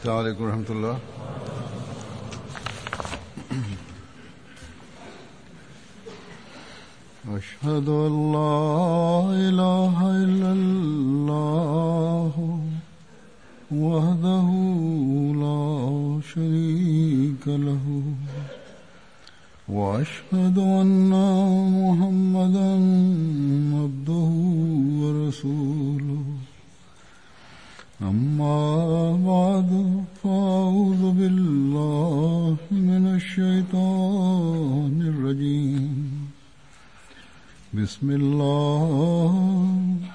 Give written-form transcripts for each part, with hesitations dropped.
السلام عليكم ورحمة الله. أشهد أن لا إله إلا الله وحده لا شريك له وأشهد أن محمدا عبده ورسوله أما بعد فأعوذ بالله من الشيطان الرجيم بسم الله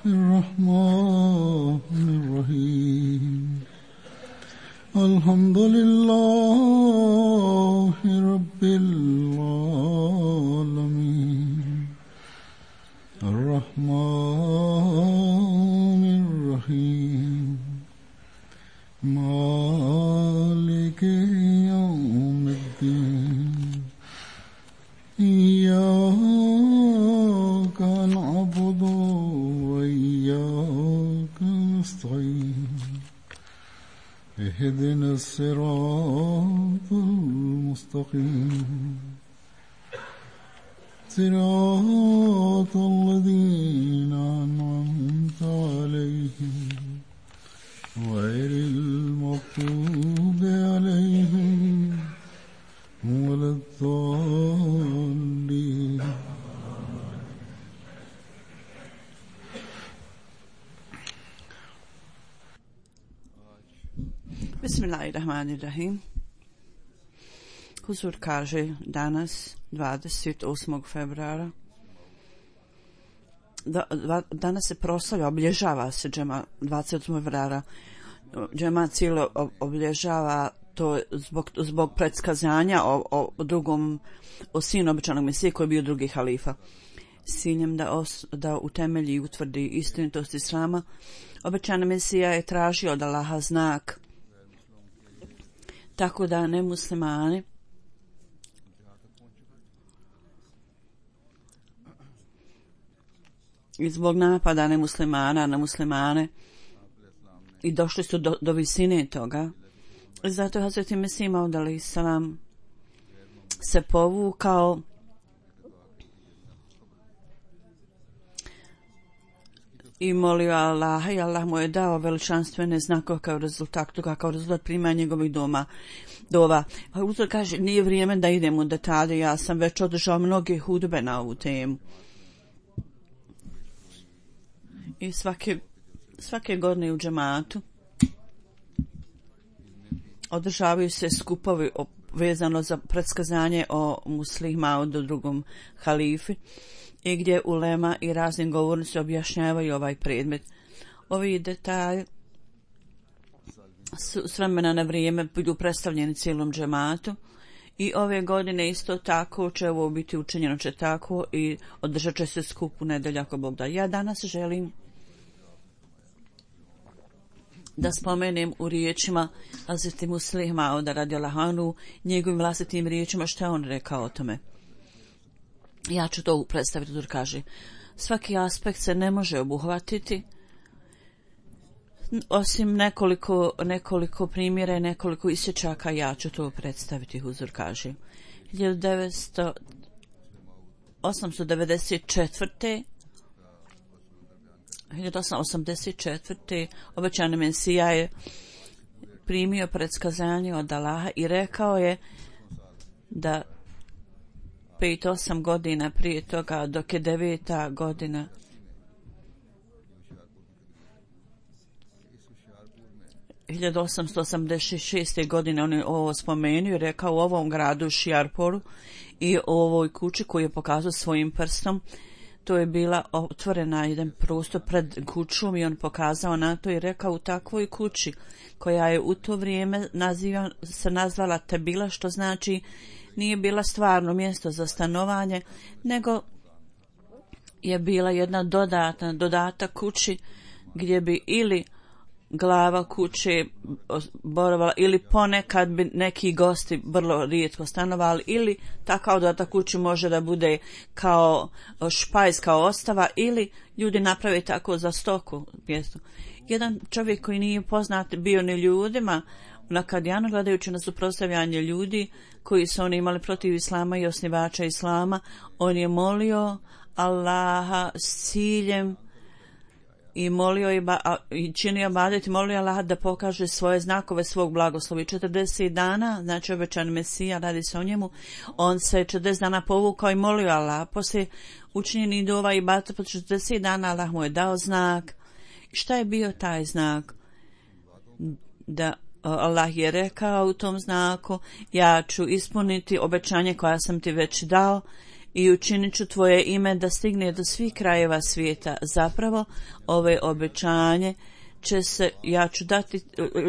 الرحمن الرحيم الحمد لله رب العالمين الرحمن الرحيم مالك يوم الدين إياك نعبد وإياك نستعين اهدنا الصراط المستقيم صراط الذين أنعمت عليهم غير المغضوب عليهم ولا الضالين. Bismillahirrahmanirrahim. Huzur kaže danas 28. februara danas se proslavlja, obilježava se 28. februara. Džemat cijelo obilježava to zbog predskazanja o drugom, o sinu obećanog Mesije koji je bio drugi halifa. S ciljem da utemelji i utvrdi istinitost islama, obećani Mesija je tražio od Allaha znak, tako da nemuslimani i zbog napada nemuslimana na muslimane i došli su do visine toga. Zato je Hazreti Mesih Maud alejhi selam se povukao i molio Allaha, i Allah mu je dao veličanstvene znakove kao rezultat toga, kao rezultat primanja njegovih dova. Uzor kaže, nije vrijeme da idem u detalje, ja sam već održao mnoge hudbe na ovu temu. I svake godine u džematu održavaju se skupovi vezano za predskazanje o Muslih Maudu, drugom halifi, i gdje ulema i razni govornici objašnjavaju ovaj predmet. Ovi detalji su s vremena na vrijeme budu predstavljeni cijelom džematu i ove godine isto tako će ovo biti učinjeno će tako i održat će se skup u nedjelju ako Bog da. Ja danas želim da spomenem u riječima Hazreti Muslih Mauda radijallahu anhu, njegovim vlastitim riječima što je on rekao o tome. Ja ću to predstaviti, jer kaže, svaki aspekt se ne može obuhvatiti osim nekoliko primjera i nekoliko isječaka, ja ću to predstaviti, huzur kaže. 1884. obećani Mesija je primio predskazanje od Allaha i rekao je da 5-8 godina prije toga, dok je 9. godina (1886. godine) on je ovo spomenuo i rekao u ovom gradu Šijarporu i o ovoj kući koju je pokazao svojim prstom. To je bila otvorena jedan prostor pred kućom i on pokazao na to i rekao, u takvoj kući koja je u to vrijeme nazvala Tebila, što znači nije bila stvarno mjesto za stanovanje, nego je bila jedna dodatak kući gdje bi ili glava kuće boravala ili ponekad bi neki gosti vrlo rijetko stanovali, ili takav dodatak kući može da bude kao špajz, kao ostava, ili ljudi naprave tako za stoku mjesto. Jedan čovjek koji nije poznat bio ni ljudima, na Kadijanu, gledajući na suprotstavljanje ljudi koji su oni imali protiv islama i osnivača islama. On je molio Allaha s ciljem i molio i činio ibadet i molio Allaha da pokaže svoje znakove svog blagoslova. 40 dana, znači obećan Mesija, radi se o njemu, on se 40 dana povukao i molio Allaha. Poslije učinjeni dova i ibadet po 40 dana Allah mu je dao znak. Šta je bio taj znak? Da Allah je rekao u tom znaku: ja ću ispuniti obećanje koja sam ti već dao i učinit ću tvoje ime da stigne do svih krajeva svijeta. Zapravo, ove obećanje će se, ja ću dati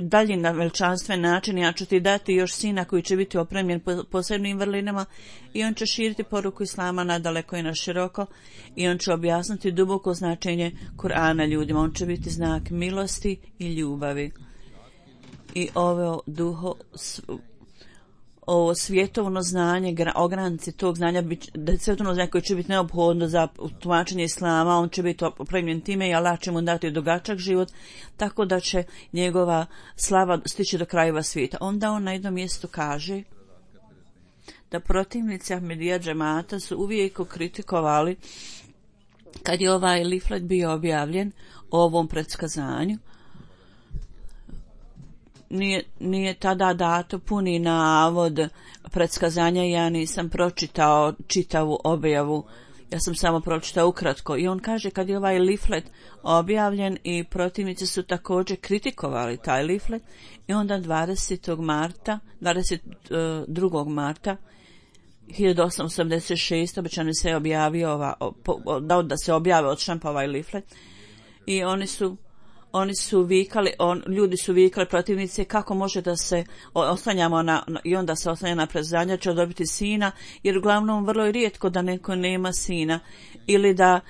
dalje na veličanstven način, ja ću ti dati još sina koji će biti opremljen posebnim vrlinama i on će širiti poruku islama nadaleko i na široko i on će objasniti duboko značenje Kur'ana ljudima. On će biti znak milosti i ljubavi. I ovo svjetovno znanje, ogranci tog znanja, svjetovno znanje koje će biti neophodno za tumačenje islama, on će biti opremljen time i Allah će mu dati dugačak život, tako da će njegova slava stići do krajeva svijeta. Onda on na jednom mjestu kaže da protivnici Ahmedija džemata su uvijek kritikovali kad je ovaj leaflet bio objavljen o ovom predskazanju. Nije tada dato puni navod predskazanja, ja nisam pročitao čitavu objavu, ja sam samo pročitao ukratko. I on kaže kad je ovaj leaflet objavljen i protivnici su također kritikovali taj leaflet i onda 22. marta 1886 obećano se objavio dao da se objave od štampa ovaj leaflet i oni su vikali, ljudi su vikali protivnice kako može da se oslanjamo i onda se oslanja na predskazanja će dobiti sina, jer uglavnom vrlo je rijetko da neko nema sina ili da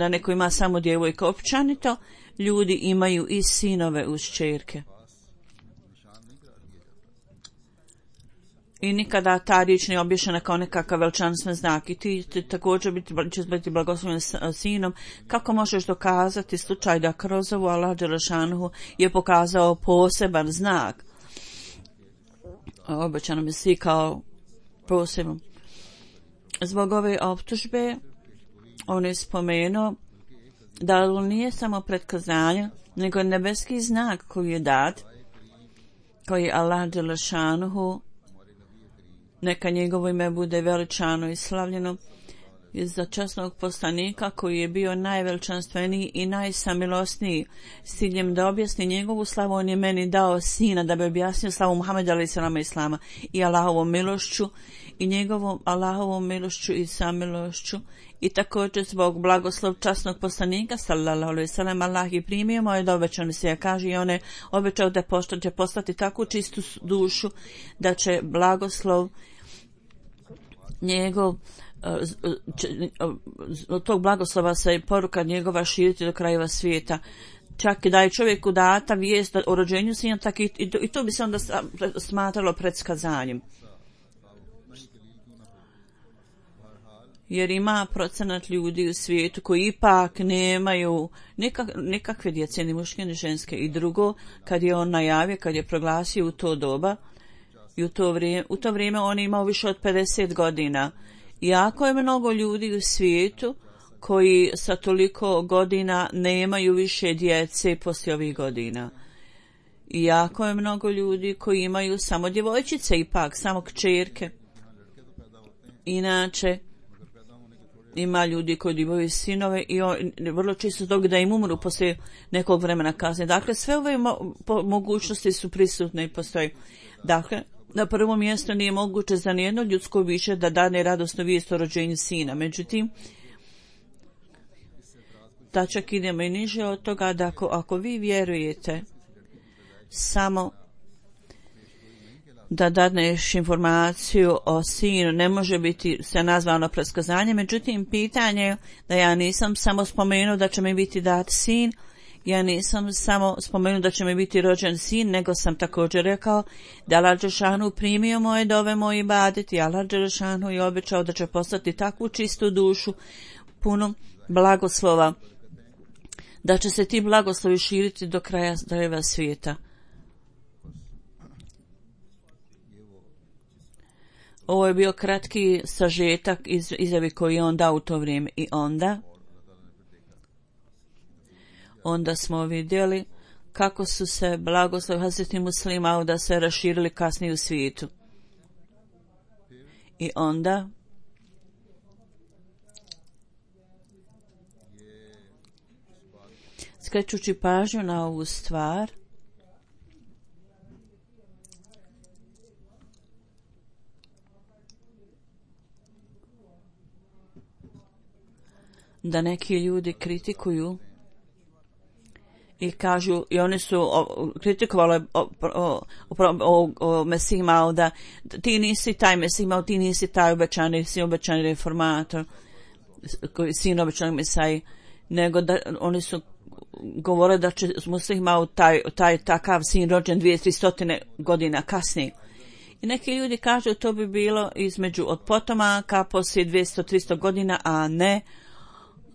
neko ima samo djevojka. Općenito ljudi imaju i sinove uz kćerke. I nikada ta riječ ne obješena kao nekakav veličanstven znak. I ti također ćeš biti blagoslovljen sinom. Kako možeš dokazati slučaj da kroz ovu Allah dželešanohu je pokazao poseban znak? Obećano mi svi kao posebno. Zbog ove optužbe on je spomenuo da nije samo predkazanje, nego nebeski znak koji je dat, koji je Allah dželešanohu, neka njegovo ime bude veličano i slavljeno, za časnog poslanika koji je bio najveličanstveniji i najsamilosniji. S ciljem da objasni njegovu slavu, on je meni dao sina da bi objasnio slavu Muhameda alejhi selam islama i Allahovom milošću i njegovom Allahovom milošću i samilošću. I također zbog blagoslov časnog poslanika sallallahu alejhi ve sellem Allah je primio moje da obećano se kaže i on je obećao da će postati takvu čistu dušu da će blagoslov njegov od tog blagoslova se poruka njegova širiti do krajeva svijeta. Čak i da je čovjeku data vijest o rođenju sina, tak i to bi se onda smatralo predskazanjem. Jer ima procenat ljudi u svijetu koji ipak nemaju nikakve djece, ni muške ni ženske. I drugo, kad je on najavio, kad je proglasio u to doba i u to vrijeme on je imao više od 50 godina. Jako je mnogo ljudi u svijetu koji sa toliko godina nemaju više djece poslije ovih godina. I jako je mnogo ljudi koji imaju samo djevojčice, ipak samo kćerke. Inače, ima ljudi koji imaju sinove i vrlo često zbog da im umru poslije nekog vremena kasnije. Dakle, sve ove mogućnosti su prisutne i postoje. Dakle, na prvom mjestu nije moguće za nijedno ljudsko biće da dane radosnu vijest o rođenju sina. Međutim, da čak idemo i niže od toga da ako vi vjerujete samo da dadneš informaciju o sinu, ne može biti se nazvano predskazanje. Međutim, pitanje je da ja nisam samo spomenuo da će mi biti dat sin, ja nisam samo spomenuo da će mi biti rođen sin, nego sam također rekao da Allah dželešanu primio moje dove, moj ibadet i Allah dželešanu je obećao da će postati takvu čistu dušu, puno blagoslova, da će se ti blagoslovi širiti do krajeva svijeta. Ovo je bio kratki sažetak iz izjave koji je on dao u to vrijeme. I onda smo vidjeli kako su se blagoslovi Hazreti Muslima da se raširili kasnije u svijetu. I onda skrećući pažnju na ovu stvar, da neki ljudi kritikuju i kažu, i oni su kritikovali Mesih Mauda, ti nisi taj Mesih Maud, ti nisi taj obećani, si obećani reformator, sin obećanog Mesaji, nego da oni su govorili da će Mesih Maud taj takav sin rođen 200-300 godina kasnije. I neki ljudi kažu to bi bilo između od potomaka poslije 200-300 godina, a ne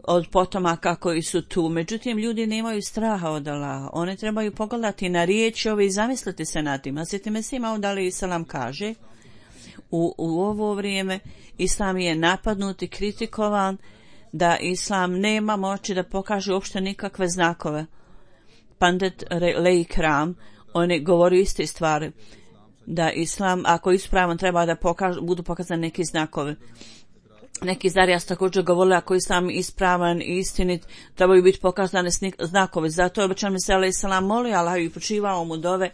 od potomaka koji su tu. Međutim, ljudi nemaju straha od Allaha. Oni trebaju pogledati na riječi ove i zamisliti se nad tim. Hazreti Mesih Maud alejhi selam kaže, u ovo vrijeme Islam je napadnut i kritikovan, da Islam nema moći da pokaže uopšte nikakve znakove. Pandit Leikram, oni govori iste stvari, da Islam, ako je ispravan, treba da budu pokazani neki znakovi. Neki Zarijas također govorili, ako je Islam ispravan i istinit, trebaju biti pokazane znakovi. Zato je obećan Mesih alejhi selam molio Allah i počivao mu dove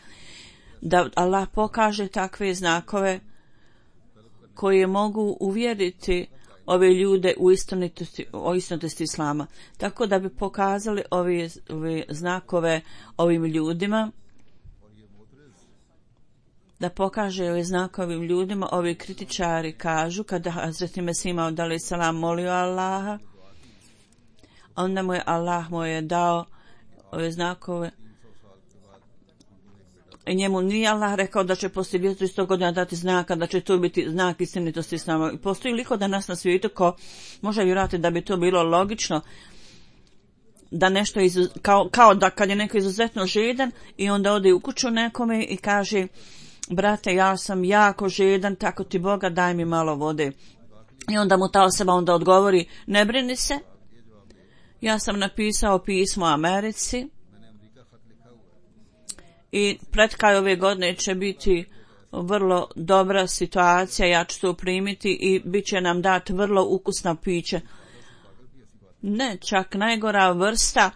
da Allah pokaže takve znakove koje mogu uvjeriti ove ljude o istinitosti Islama. Tako da bi pokazali ove znakove ovim ljudima, da pokaže ove znakovim ljudima. Ovi kritičari kažu, kada Hazreti Mesih Maud alejhi selam molio Allaha, onda mu je Allah dao ove znakove. I njemu nije Allah rekao da će poslije 200 godina dati znaka, da će to biti znak istinitosti Islama. Postoji liko danas na svijetu ko može vjerovati da bi to bilo logično, da nešto kao da kad je neko izuzetno žedan i onda ode u kuću nekome i kaže, brate, ja sam jako žedan, tako ti Boga, daj mi malo vode. I onda mu ta osoba onda odgovori, ne brini se, ja sam napisao pismo Americi i pred kraj ove godine će biti vrlo dobra situacija, ja ću to primiti i bit će nam dati vrlo ukusna piće. Ne, čak najgora vrsta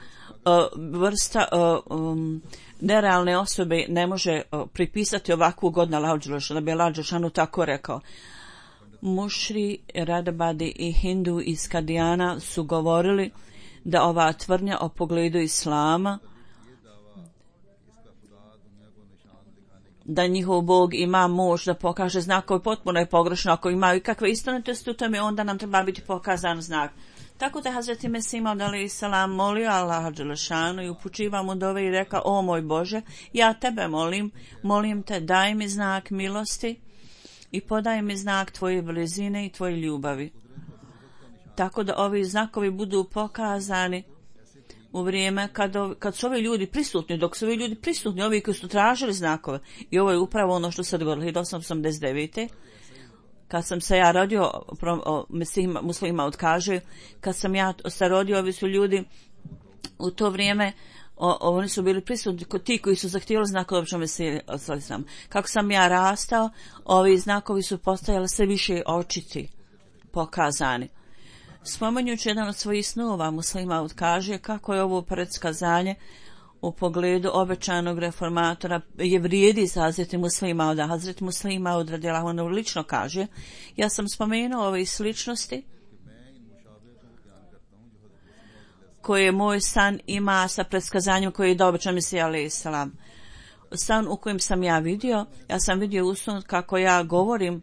nerealne osobe ne može pripisati ovakvu godinu Allahu dželešanu, da bi Allah dželešanu tako rekao. Mušri, Radabadi i Hindu iz Kadijana su govorili da ova tvrdnja o pogledu Islama, da njihov Bog ima moć da pokaže znakove, potpuno je pogrešno. Ako imaju kakve istinitosti u tome, onda nam treba biti pokazan znak. Tako da Hazreti Mesih Maud alejhi selam molio Allaha dželešanu i upućivao mu dove i rekao, o moj Bože, ja tebe molim te, daj mi znak milosti i podaj mi znak tvoje blizine i tvoje ljubavi. Tako da ovi znakovi budu pokazani u vrijeme kad su ovi ljudi prisutni, dok su ovi ljudi prisutni, ovi koji su tražili znakove. I ovo je upravo ono što se dogodilo 1889. Kad sam se ja rodio, Mesih Maud kaže, kad sam ja se rodio, ovi su ljudi u to vrijeme, oni su bili prisutni, ti koji su zahtijeli znakove obično Mesih. Kako sam ja rastao, ovi znakovi su postajali sve više očiti, pokazani. Spomenjući jedan od svojih snova, Mesih Maud kaže kako je ovo predskazanje u pogledu obećanog reformatora je vrijedi za Hazreti Mesih Mauda. Hazreti Mesih Maud radijallahu anhu lično kaže, ja sam spomenuo ove sličnosti koje moj san ima sa predskazanjem koje je dao obećan Mesih alejhi selam. San u kojem sam ja sam vidio u snu kako ja govorim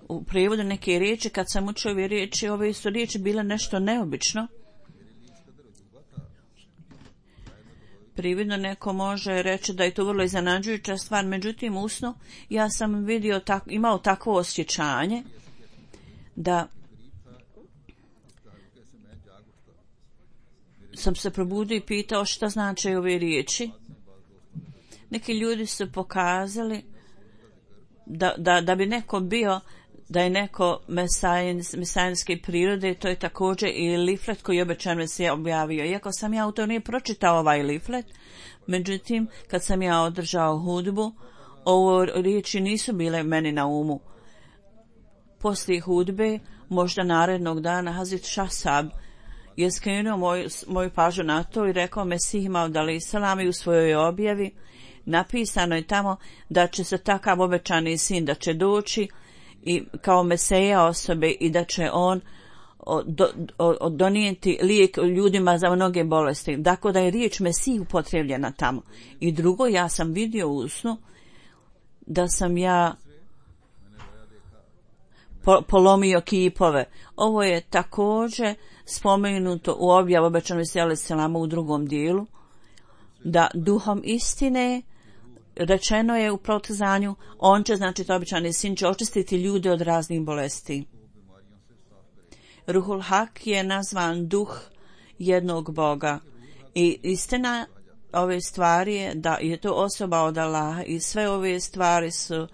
u prijevodu neke riječi. Kad sam učio ove riječi, ove su riječi bile nešto neobično. Prividno neko može reći da je to vrlo iznenađujuća stvar, međutim u snu ja sam imao takvo osjećanje da sam se probudio i pitao šta znače ove riječi. Neki ljudi su pokazali da bi neko bio, da je neko mesajinske prirode, to je također i liflet koji je obećan Mesija objavio. Iako sam ja u to nije pročitao ovaj liflet, međutim, kad sam ja održao hudbu, ovo riječi nisu bile meni na umu. Poslije hudbe, možda narednog dana, Hazret Šasab je skrenuo moju pažnju na to i rekao Mesih Maud alejhi selam i u svojoj objavi napisano je tamo da će se takav obećani sin da će doći i kao Meseja osobe i da će on donijeti lijek ljudima za mnoge bolesti. Dakle, da je riječ Mesih upotrijebljena tamo. I drugo, ja sam vidio u snu da sam ja polomio kipove. Ovo je također spomenuto u objavu obećanog Mesija alejhi selam u drugom dijelu, da duhom istine rečeno je u protezanju, on će, znači to obećani sin, će očistiti ljude od raznih bolesti. Ruhul Hak je nazvan duh jednog Boga i istina ove stvari je da je to osoba od Allaha i sve ove stvari su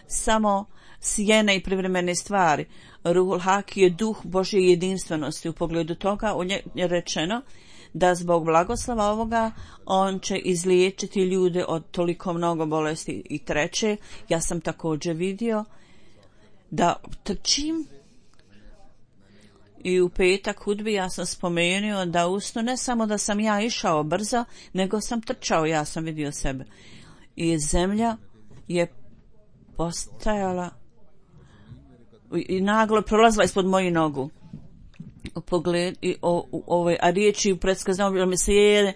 samo sjene i privremene stvari. Ruhul Hak je duh Božje jedinstvenosti. U pogledu toga je rečeno da zbog blagoslova ovoga on će izliječiti ljude od toliko mnogo bolesti. I treće, ja sam također vidio da trčim i u petak hudbi ja sam spomenuo da usno ne samo da sam ja išao brzo, nego sam trčao, ja sam vidio sebe. I zemlja je postajala i naglo prolazila ispod moju nogu. U pogled i ove riječi u predskazanju Mesije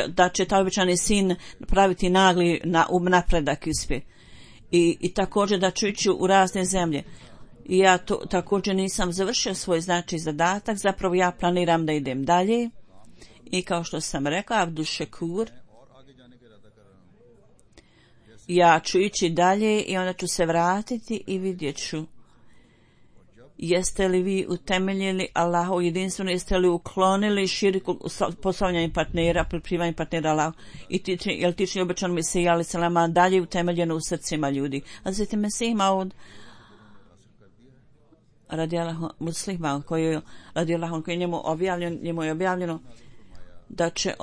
da će taj obećani sin praviti nagli napredak ispje. I također da ću ići u razne zemlje. I ja također nisam završio svoj zadatak, zapravo ja planiram da idem dalje. I kao što sam rekla, Abdul Šekur, ja ću ići dalje i onda ću se vratiti i vidjet ću. Jeste li vi utemeljili Allahu jedinstveno, jeste li uklonili širiku postavljanje partnera, priprivanje partnera Allahu i jel tični obećan Mesija alejhi selam dalje utemeljeno u srcima ljudi. A zatim Mesih Maud radijallahu muslima koji je njemu je objavljeno da će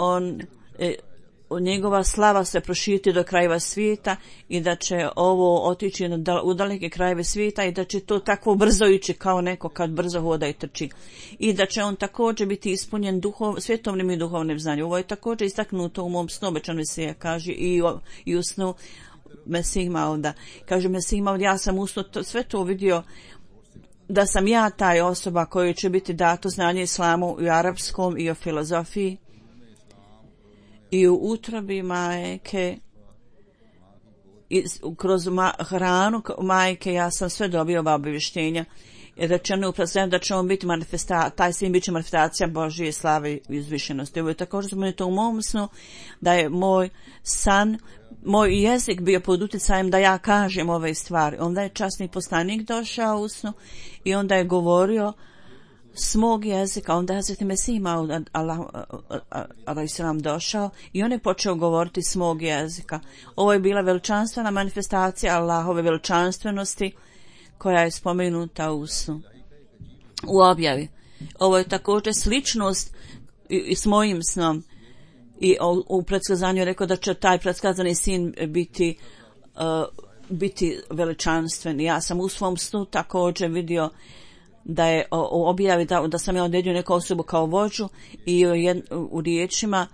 njegova slava se proširiti do krajeva svijeta i da će ovo otići u daleke krajeve svijeta i da će to tako brzo ići kao neko kad brzo hoda i trči. I da će on također biti ispunjen svjetovnim i duhovnim znanjem. Ovo je također istaknuto u mom snu, obećan Mesija kaže i u snu Mesih Mauda. Kaže Mesih Maud, ja sam u snu sve to vidio da sam ja taj osoba kojoj će biti dato znanje islamu i arapskom i o filozofiji. I u utrobi majke i kroz hranu majke ja sam sve dobio ova obavještenja. Rečeno upravo da će on biti taj sin biće manifestacija Božje slave i uzvišenosti. Ovo je također spomenuto u mom snu da je moj jezik bio pod utjecajem da ja kažem ove stvari. Onda je časni poslanik došao u snu i onda je govorio s mog jezika, onda je Hazreti Mesih Maud alejhi selam došao i on je počeo govoriti s mog jezika. Ovo je bila veličanstvena manifestacija Allahove veličanstvenosti koja je spomenuta u snu, u objavi. Ovo je također sličnost i s mojim snom i u predskazanju je rekao da će taj predskazani sin biti veličanstven. Ja sam u svom snu također vidio da je objavi da sam ja odredio neku osobu kao vođu i u riječima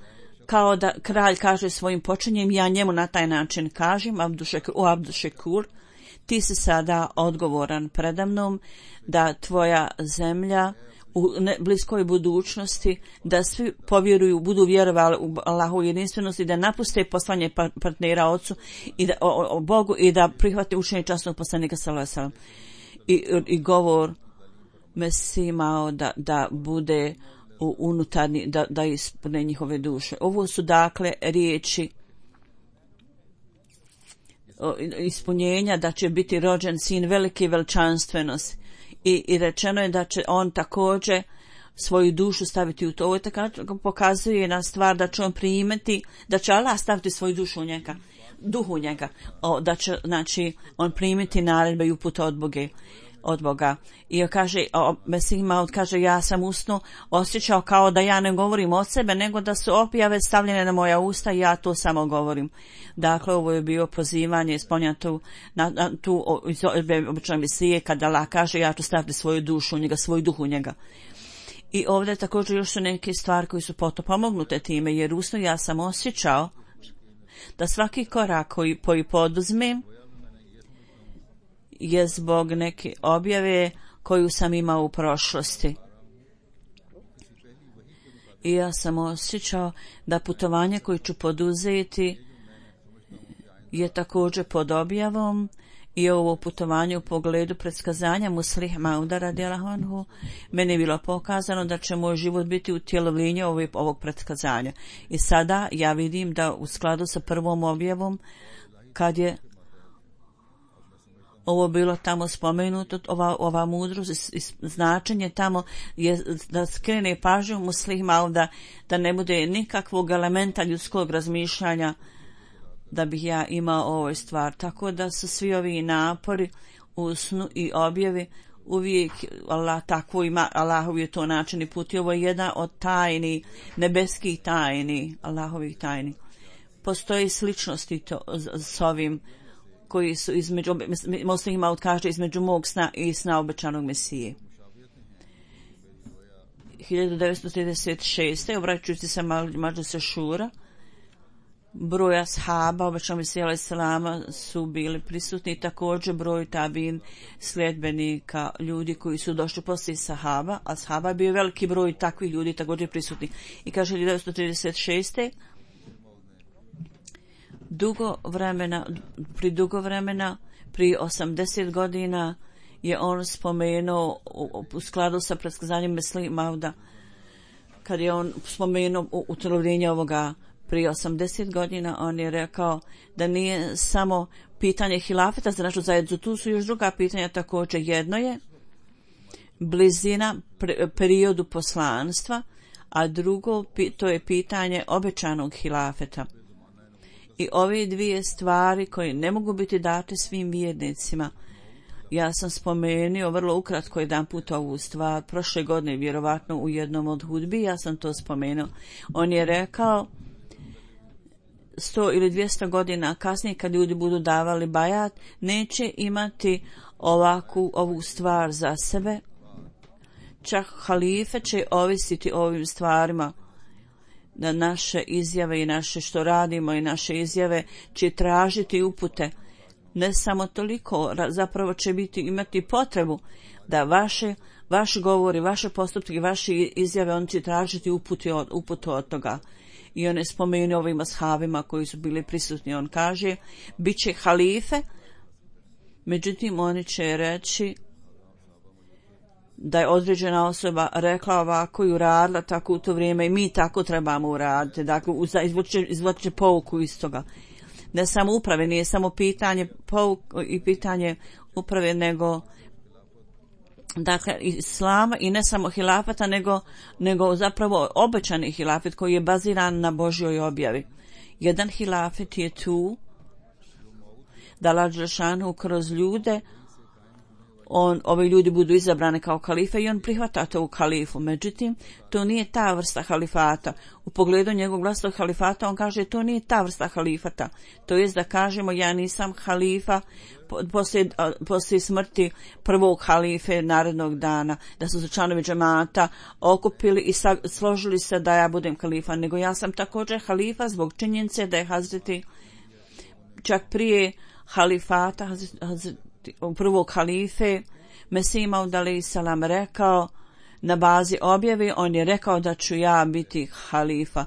kao da kralj kaže svojim počinjem, ja njemu na taj način kažem, Abdul Šekur, ti si sada odgovoran predamnom da tvoja zemlja u bliskoj budućnosti, da svi povjeruju, budu vjerovali u Allahu jedinstvenosti, da napuste poslanje partnera Otcu i da, o Bogu i da prihvate učenje časnog poslanika sallallahu alejhi ve sellem. I govor Mesih Maud da bude unutarnji, da ispune njihove duše. Ovo su dakle riječi ispunjenja da će biti rođen sin velike veličanstvenosti i rečeno je da će on također svoju dušu staviti u to. Ovo je tako pokazuje na stvar da će on primiti, da će Allah staviti svoju dušu u njega. duhu njega, da će, znači, on primiti naredbe i upute od Boga. I kaže, Mesih Maud kaže, ja sam usno osjećao kao da ja ne govorim od sebe, nego da su objave stavljene na moja usta i ja to samo govorim. Dakle, ovo je bio pozivanje, spomenuto na tu običaj Mesije, kada Allah kaže, ja ću staviti svoju dušu u njega, svoj duh u njega. I ovdje također još su neke stvari koji su pomognute time, jer usno ja sam osjećao da svaki korak koji poduzmem je zbog neke objave koju sam imao u prošlosti. I ja sam osjećao da putovanje koje ću poduzeti je također pod objavom i ovo putovanje u pogledu predskazanja Muslih Mauda radijallahu anhu, meni je bilo pokazano da će moj život biti utjelovljenje ovog predskazanja. I sada ja vidim da u skladu sa prvom objavom, kad je ovo bilo tamo spomenuto, ova mudrost i značenje tamo je da skrene pažnju Muslih Mauda, da ne bude nikakvog elementa ljudskog razmišljanja da bih ja imao ovoj stvar. Tako da su svi ovi napori u snu i objavi uvijek Allah tako ima, Allahov je to način i put. Ovo je jedna od tajni, nebeskih tajni, Allahovih tajni. Postoji sličnosti to s ovim koji su između, Muslih Maud kaže, između mog sna i sna obećanog Mesije. 1936. obraćajući se Mađlise Šura, broj ashaba obećanog Mesija alejhi selama su bili prisutni, također broj tabin sljedbenika, ljudi koji su došli poslije sahaba, a sahaba je bio veliki broj takvih ljudi također prisutni. I kaže 1936. dugo vremena, pri 80 godina je on spomenuo u skladu sa predskazanjem Muslih Mauda, kad je on spomenuo utjelovljenje ovoga prije 80 godina, on je rekao da nije samo pitanje hilafeta za našu zajednicu, tu su još druga pitanja također. Jedno je blizina periodu poslanstva, a drugo to je pitanje obećanog hilafeta. I ove dvije stvari koje ne mogu biti date svim vjernicima. Ja sam spomenuo vrlo ukratko jedan put ovu stvar prošle godine, vjerovatno u jednom od hudbi, ja sam to spomenuo. On je rekao 100 ili 200 godina kasnije, kad ljudi budu davali bajat, neće imati ovu stvar za sebe. Čak halife će ovisiti o ovim stvarima, da naše izjave i naše što radimo i naše izjave će tražiti upute. Ne samo toliko, zapravo će imati potrebu da vaši govori, vaše postupke, vaše izjave, on će tražiti uputu od toga. I on je spomenuo ovim ashabima koji su bili prisutni. On kaže, bit će halife, međutim oni će reći da je određena osoba rekla ovako i uradila tako u to vrijeme i mi tako trebamo uraditi. Dakle, izvuče pouku iz toga. Ne samo uprave, nije samo pitanje i pitanje uprave, nego dakle islama i ne samo hilafeta, nego zapravo obećani hilafet koji je baziran na Božjoj objavi. Jedan hilafet je tu da Allah dželešanu kroz ljude ovi ljudi budu izabrani kao kalife i on prihvata to u kalifu. Međutim, to nije ta vrsta halifata. U pogledu njegovog vlastnog halifata on kaže to nije ta vrsta halifata. To jest da kažemo ja nisam halifa poslije smrti prvog halife narednog dana, da su se članovi džemata okupili i složili se da ja budem halifa, nego ja sam također halifa zbog činjenice da je Hazreti čak prije halifata prvog halife Mesih Maud alejhi selam rekao na bazi objave, on je rekao da ću ja biti halifa.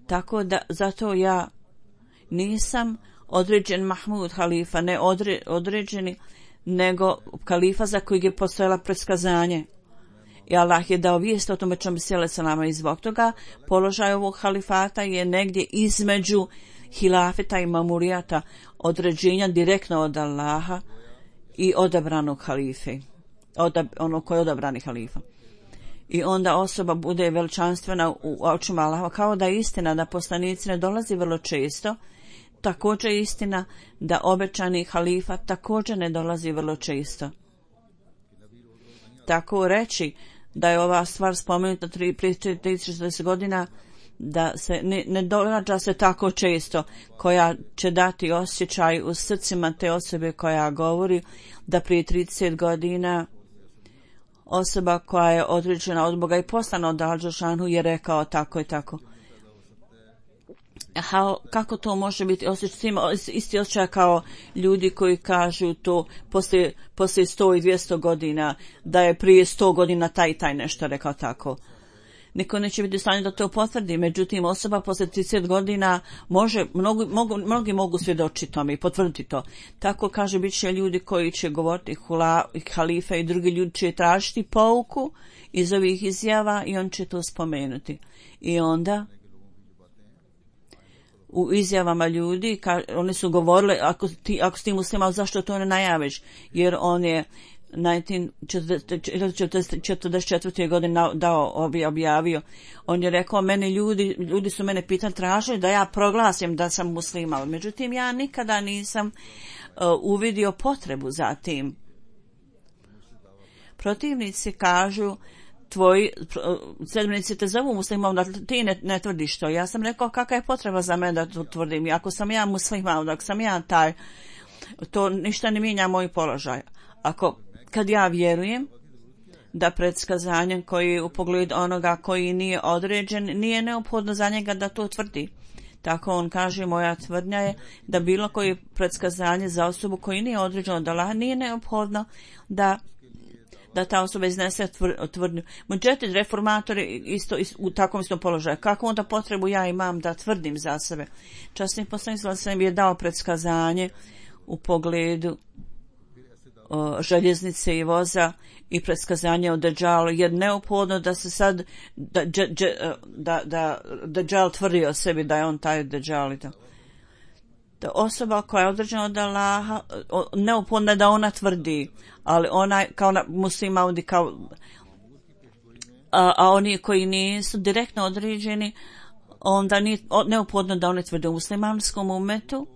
Tako da zato ja nisam određen Mahmud halifa, ne određeni, nego halifa za kojeg je postojala predskazanje. I Allah je dao vijest o tome čemu Mesih alejhi selam, i zbog toga položaj ovog halifata je negdje između hilafeta i mamurijata, određenja direktno od Allaha i odabranog halife, ono koji je odabrani halifa. I onda osoba bude veličanstvena u očima Allaha, kao da je istina da poslanici ne dolazi vrlo često, također je istina da obećani halifa također ne dolazi vrlo često. Tako reći da je ova stvar spomenuta prije 30 godina, da se ne događa se tako često, koja će dati osjećaj u srcima te osobe koja govori da prije 30 godina osoba koja je određena od Boga i poslana od Al-Đelešanu je rekao tako i tako. Kako to može biti isti osjećaj kao ljudi koji kažu to poslije 100 i 200 godina, da je prije 100 godina taj i taj nešto rekao tako. Niko neće biti u stanju da to potvrdi, međutim osoba poslije 30 godina mnogi mogu svjedočiti tome i potvrditi to. Tako kaže, bit će ljudi koji će govoriti halife i drugi ljudi će tražiti pouku iz ovih izjava i on će to spomenuti. I onda u izjavama ljudi, oni su govorili, ako si ti musliman, zašto to ne najaviš? Jer on je 1944. godine objavio. On je rekao, ljudi su mene pitali, tražili da ja proglasim da sam musliman. Međutim, ja nikada nisam uvidio potrebu za tim. Protivnici kažu, tvoji sledbenici te zovu muslimom, da ti ne tvrdiš to. Ja sam rekao, kakva je potreba za mene da to tvrdim? Ako sam ja musliman, ako sam ja taj, to ništa ne mijenja moj položaj. Kad ja vjerujem da predskazanjem koji u pogledu onoga koji nije određen, nije neophodno za njega da to tvrdi. Tako on kaže, moja tvrdnja je da bilo koje predskazanje za osobu koji nije određeno od Allaha nije neophodno da ta osoba iznese tvrdnju. Muđedid, reformatori isto u takvom istom položaju. Kako onda potrebu ja imam da tvrdim za sebe? Časni poslanik sam je dao predskazanje u pogledu željeznice i voza i predskazanje o Dejjalu, jer neophodno da se sad da Dejjal tvrdi o sebi da je on taj Dejjal i to. Da osoba koja je određena od Allaha, neophodno da ona tvrdi, ali ona kao musliman, a oni koji nisu direktno određeni, onda nije neophodno da oni tvrde. U muslimanskom umetu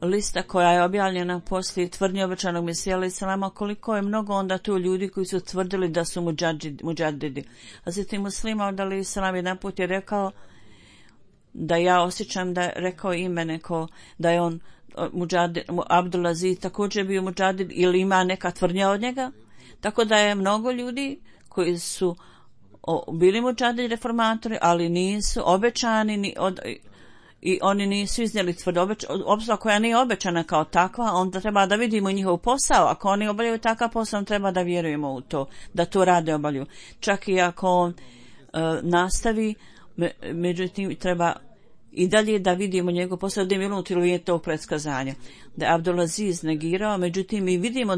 lista koja je objavljena poslije tvrdnje obećanog Mesija alejhi selama, koliko je mnogo onda tu ljudi koji su tvrdili da su muđadidi. A zatim Muslima alejhi selam jedan put je rekao da ja osjećam da je rekao ime neko, da je on muđadid, Abdulaziz također bio muđadid ili ima neka tvrdnja od njega. Tako da je mnogo ljudi koji su bili muđadidi reformatori, ali nisu obećani i oni nisu iznijeli tvrdu obzor koja nije obećana kao takva, onda treba da vidimo njihov posao. Ako oni obavljaju takav posao, treba da vjerujemo u to, da to rade obavljaju. Čak i ako on nastavi, međutim treba i dalje da vidimo njegov posao, da je unutar tog predskazanja. Da je Abdulaziz negirao, međutim mi vidimo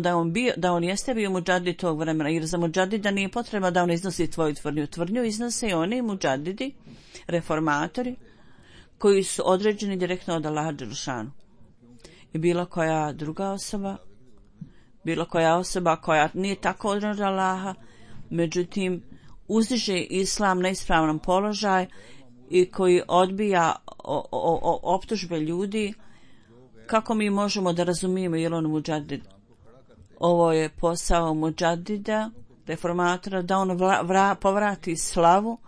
da on jeste bio muđadid tog vremena, jer za muđadida nije potreba da on iznosi tvoju tvrdnju. Tvrdnju iznose i oni muđadidi, reformatori, koji su određeni direktno od Allaha Đelešanu. I bilo koja druga osoba, bilo koja osoba koja nije tako određena od Allaha, međutim uzdiže islam na ispravnom položaj i koji odbija optužbe ljudi, kako mi možemo da razumijemo je li on muđadid? Ovo je posao muđadida, reformatora, da on povrati slavu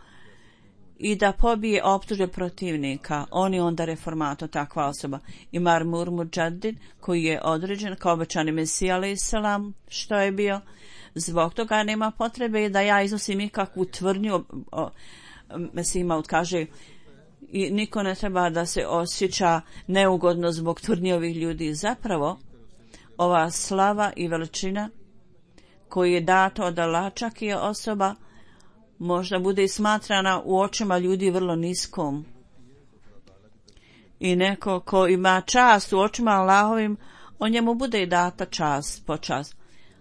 i da pobije optužbe protivnika. On je onda reformator, takva osoba. I Marmur muđadid, koji je određen kao obećani Mesija alejhi selam, što je bio. Zbog toga nema potrebe da ja iznosim ikakvu tvrdnju. Mesija Maud kaže, i niko ne treba da se osjeća neugodno zbog tvrdnji ovih ljudi. Zapravo, ova slava i veličina koju je dato od Allaha, čak i osoba možda bude i smatrana u očima ljudi vrlo niskom. I neko ko ima čast u očima Allahovim, o njemu bude i data čast, počast.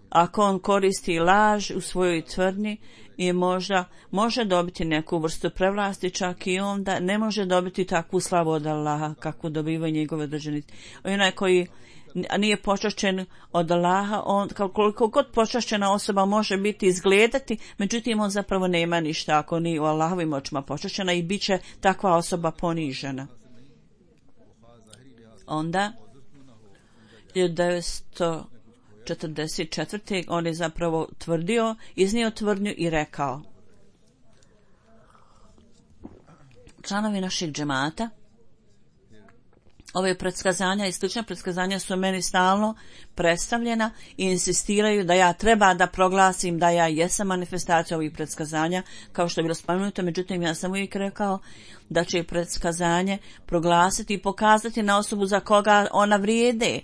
Ako on koristi laž u svojoj tvrdnji i možda može dobiti neku vrstu prevlasti, čak i onda ne može dobiti takvu slavu od Allaha kakvu dobivaju njegove državnici. Onaj koji nije počašćen od Allaha, on koliko god počašćena osoba može biti izgledati, međutim on zapravo nema ništa ako nije u Allahovim očima počašćena i bit će takva osoba ponižena. Onda 1944. on je zapravo iznio tvrdnju i rekao: članovi našeg džemata, ove predskazanja i slične predskazanja su meni stalno predstavljena i insistiraju da ja treba da proglasim da ja jesam manifestacija ovih predskazanja, kao što je bilo spomenuto. Međutim, ja sam uvijek rekao da će predskazanje proglasiti i pokazati na osobu za koga ona vrijede.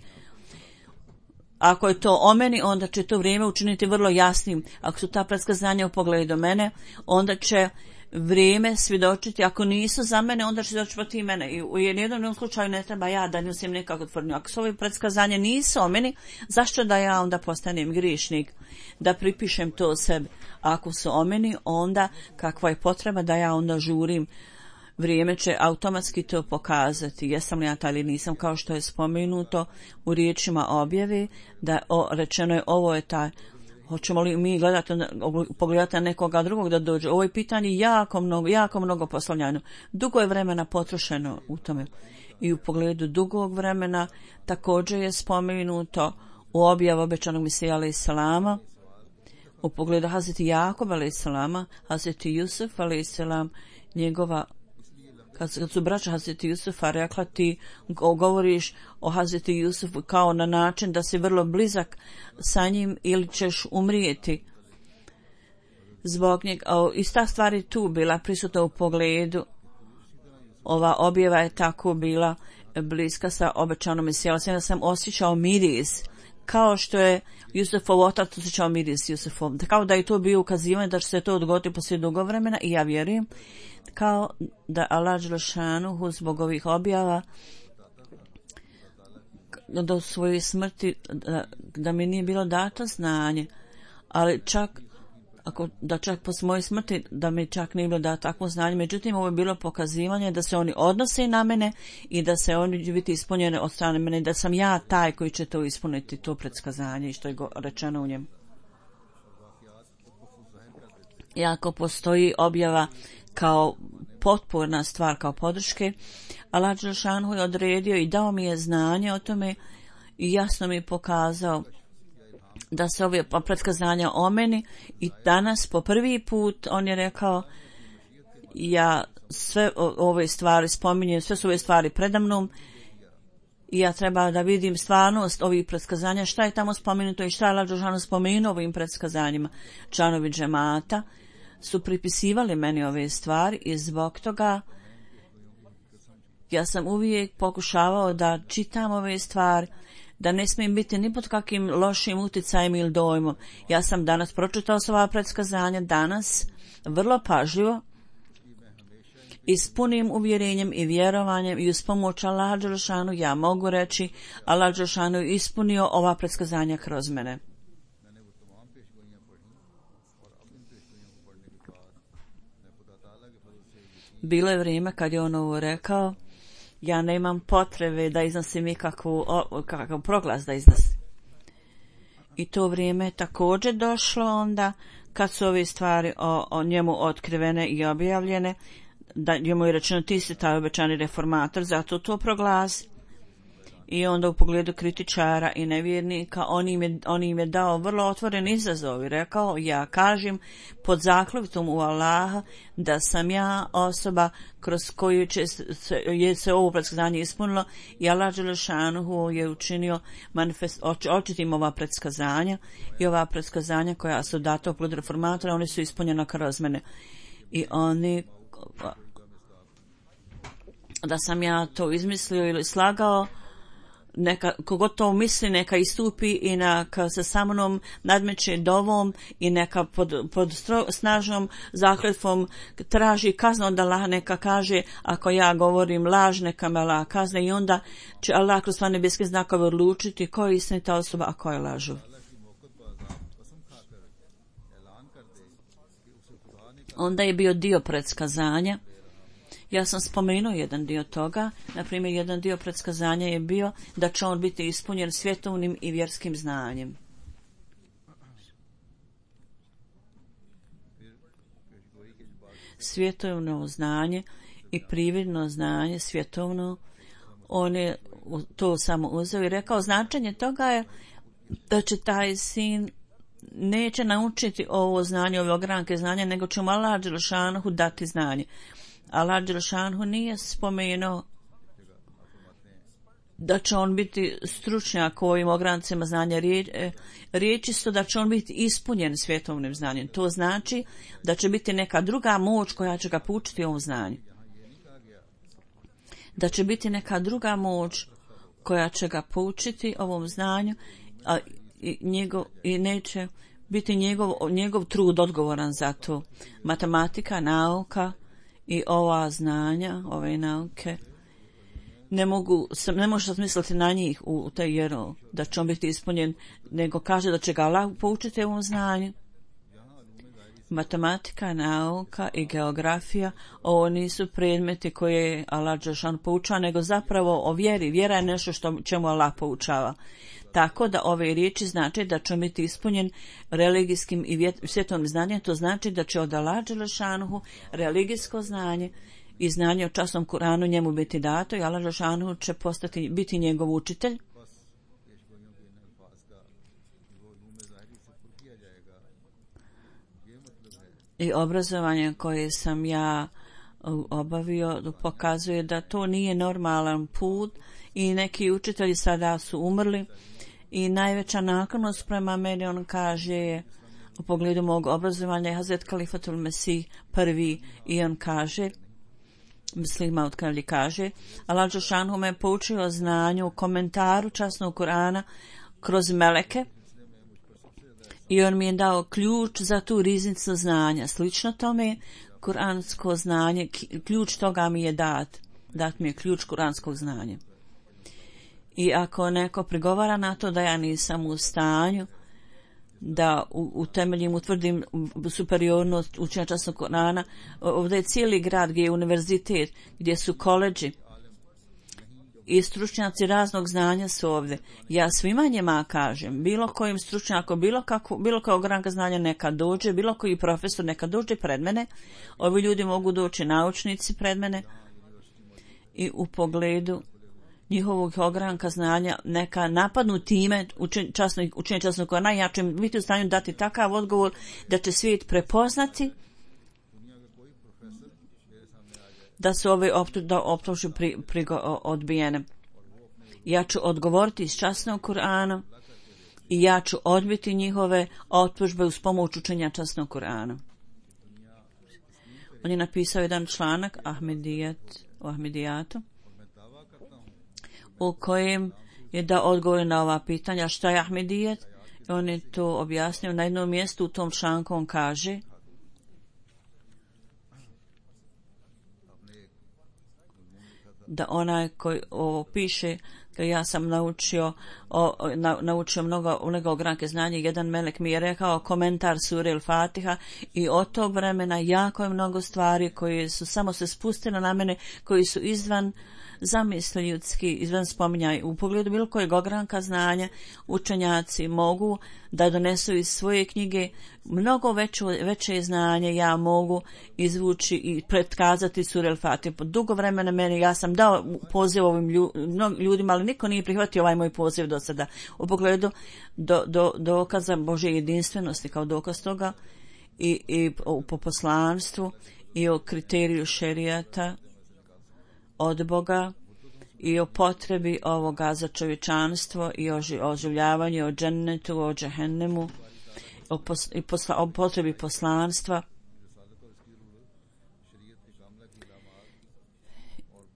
Ako je to o meni, onda će to vrijeme učiniti vrlo jasnim. Ako su ta predskazanja u pogledu mene, onda će vrijeme svjedočiti. Ako nisu za mene, onda će svjedočiti mene. I u jednom slučaju ne treba ja da nosim nekakvu tvrdnju. Ako su ove predskazanja nisu o meni, zašto da ja onda postanem grišnik? Da pripišem to sebi. Ako su o meni, onda kakva je potreba da ja onda žurim? Vrijeme će automatski to pokazati. Jesam li ja taj ili nisam, kao što je spomenuto u riječima objave, da rečeno je ovo je taj. Hoćemo li mi pogledati na nekoga drugog da dođe? Ovo je pitanje jako mnogo postavljano. Dugo je vremena potrošeno u tome. I u pogledu dugog vremena također je spomenuto u objavu obećanog Mesija alejhi selama, u pogledu Hazreti Jakoba alejhi selama, Hazreti Jusuf alejhi selam, njegova, kad su braća Hazreti Jusufa rekla ti govoriš o Hazreti Jusufu kao na način da si vrlo blizak sa njim ili ćeš umrijeti zbog njega. Ista stvar je tu bila prisutna u pogledu. Ova objava je tako bila bliska sa obećanom Mesijom. Da sam osjećao miris kao što je Jusufov otac osjećao miris Jusufov. Kao da je to bio ukazivanje da će se to odgoditi poslije dugo vremena i ja vjerujem kao da Allah dželešanuhu zbog ovih objava do svoje smrti da mi nije bilo dato znanje, ali čak po svojoj smrti da mi čak nije bilo dato takvo znanje. Međutim, ovo je bilo pokazivanje da se oni odnose na mene i da se oni će biti ispunjene od strane mene, da sam ja taj koji će to ispuniti, to predskazanje i što je rečeno u njemu. Iako postoji objava kao potporna stvar, kao podrške, Allah dželešanuhu je odredio i dao mi je znanje o tome i jasno mi je pokazao da se ove predskazanja o meni i danas po prvi put on je rekao ja sve ove stvari spominjem, sve su ove stvari predamnom i ja treba da vidim stvarnost ovih predskazanja, šta je tamo spomenuto i šta je Allah dželešanuhu spomenuo ovim predskazanjima. Članovi džemata su pripisivali meni ove stvari i zbog toga ja sam uvijek pokušavao da čitam ove stvari, da ne smijem biti ni pod kakvim lošim uticajem ili dojmom. Ja sam danas pročitao sva predskazanja, danas vrlo pažljivo i s punim uvjerenjem i vjerovanjem i uz pomoć Allaha dželešanu ja mogu reći Allah dželešanu ispunio ova predskazanja kroz mene. Bilo je vrijeme kad je on ovo rekao, ja nemam potrebe da iznosim kakav proglas da iznosim. I to vrijeme je također došlo onda kad su ove stvari o njemu otkrivene i objavljene, da njemu je rečeno ti si taj obećani reformator, zato to proglasi. I onda u pogledu kritičara i nevjernika on im je dao vrlo otvoren izazov i rekao ja kažem pod zakletvom u Allaha da sam ja osoba kroz koju je se ovo predskazanje ispunilo i Allah dželešanuhu je učinio očitim ova predskazanja i ova predskazanja koja su data u pogledu reformatora, oni su ispunjena kroz mene i oni da sam ja to izmislio ili slagao, neka, kogod to misli neka istupi i neka se sa mnom nadmeće dovom i neka pod snažnom zakletvom traži kaznu od Allaha, neka kaže ako ja govorim laž neka me Allah kazne i onda će Allah kroz sva nebeske znakove odlučiti ko je istinita osoba a ko je lažu. Onda je bio dio predskazanja. Ja sam spomenuo jedan dio toga, na primjer jedan dio predskazanja je bio da će on biti ispunjen svjetovnim i vjerskim znanjem. Svjetovno znanje i prividno znanje svjetovno, On je to samo uzeo i rekao značenje toga je da će taj sin neće naučiti ovo znanje, ove ogranke znanja, nego će mu Allah dželešanohu dati znanje. Allah dželešanohu nije spomenuo da će on biti stručnjak u ovim ograncima znanja. Riječ isto da će on biti ispunjen svjetovnim znanjem. To znači da će biti neka druga moć koja će ga poučiti ovom znanju. Da će biti neka druga moć koja će ga poučiti ovom znanju i neće biti njegov trud odgovoran za to. Matematika, nauka i ova znanja, ove nauke, ne može smisliti na njih u taj jero, da će on biti ispunjen, nego kaže da će ga Allah poučiti ovom znanju. Matematika, nauka i geografija, ovo nisu predmeti koje Allah dželešan poučava, nego zapravo o vjeri. Vjera je nešto čemu Allah poučava. Tako da ove riječi znači da će biti ispunjen religijskim i svjetovnim znanjem, to znači da će od Allah dželešanohu religijsko znanje i znanje o časnom Kuranu njemu biti dato i Allah dželešanohu će biti njegov učitelj. I obrazovanje koje sam ja obavio pokazuje da to nije normalan put i neki učitelji sada su umrli i najveća naklonost prema meni, on kaže, u pogledu mog obrazovanja je Hazret Kalifatul Mesih prvi i on kaže, Mislim Maud Kavli kaže, Allah dželešanohu me poučio znanju u komentaru časnog Kurana kroz meleke i on mi je dao ključ za tu riznicu znanja. Slično tome, kuransko znanje, ključ toga mi je dat mi je ključ kuranskog znanja. I ako neko prigovara na to da ja nisam u stanju da utemeljim, utvrdim superiornost učenja časnog Kurana, ovdje je cijeli grad gdje je univerzitet, gdje su koleđi i stručnjaci raznog znanja su ovdje. Ja svima njima kažem, bilo kojim stručnjakom, bilo kao ogranka znanja neka dođe, bilo koji profesor neka dođe pred mene, ovi ljudi mogu doći naučnici pred mene i u pogledu njihovog ogranka znanja neka napadnu time učenje časnog Kurana, ja ću biti u stanju dati takav odgovor da će svijet prepoznati da su ove optužbe odbijene. Ja ću odgovoriti iz časnog Kurana i ja ću odbiti njihove optužbe uz pomoć učenja časnog Kurana. On je napisao jedan članak o Ahmedijatu u kojem je da odgovori na ova pitanja šta je Ahmedijet. On je to objasnio na jednom mjestu. U tom članku on kaže da onaj koji ovo piše, da ja sam naučio mnogo ogranke znanja. Jedan melek mi je rekao komentar sure El-Fatiha i od tog vremena jako je mnogo stvari koje su samo se spustile na mene, koji su izvan zamisli ljudski, izvan spominjaj. U pogledu bilo kojeg ogranka znanja učenjaci mogu da donesu iz svoje knjige mnogo veće znanje. Ja mogu izvući i pretkazati sure El-Fatiha. Po dugo vremena meni, ja sam dao poziv ovim ljudima, ali niko nije prihvatio ovaj moj poziv do sada. U pogledu dokaza Božje jedinstvenosti kao dokaz toga i po poslanstvu i o kriteriju šerijata od Boga i o potrebi ovoga za čovječanstvo i o oživljavanju, o džennetu, o džehennemu, o potrebi poslanstva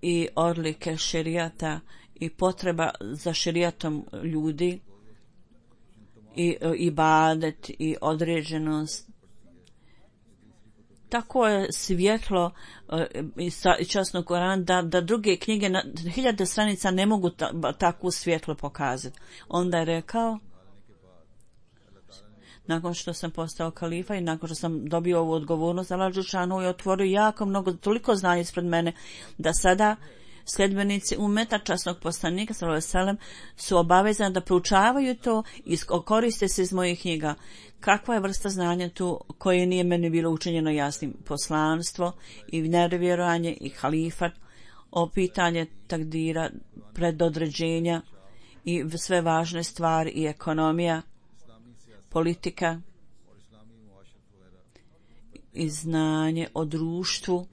i odlike šerijata i potreba za šerijatom ljudi i ibadet i određenost. Tako je svjetlo i časnog Kurana da druge knjige na 1000 stranica ne mogu takvu svjetlo pokazati. Onda je rekao, nakon što sam postao kalifa i nakon što sam dobio ovu odgovornost, Allah dželešanohu je otvorio jako mnogo, toliko znanja ispred mene, da sada sljedbenici umeta časnog poslanika sallallahu alejhi ve sellem su obavezani da proučavaju to i koriste se iz mojih knjiga. Kakva je vrsta znanja tu koje nije meni bilo učinjeno jasnim? Poslanstvo i nevjerovanje i halifat. o pitanje takdira, predodređenja i sve važne stvari i ekonomija, politika i znanje o društvu.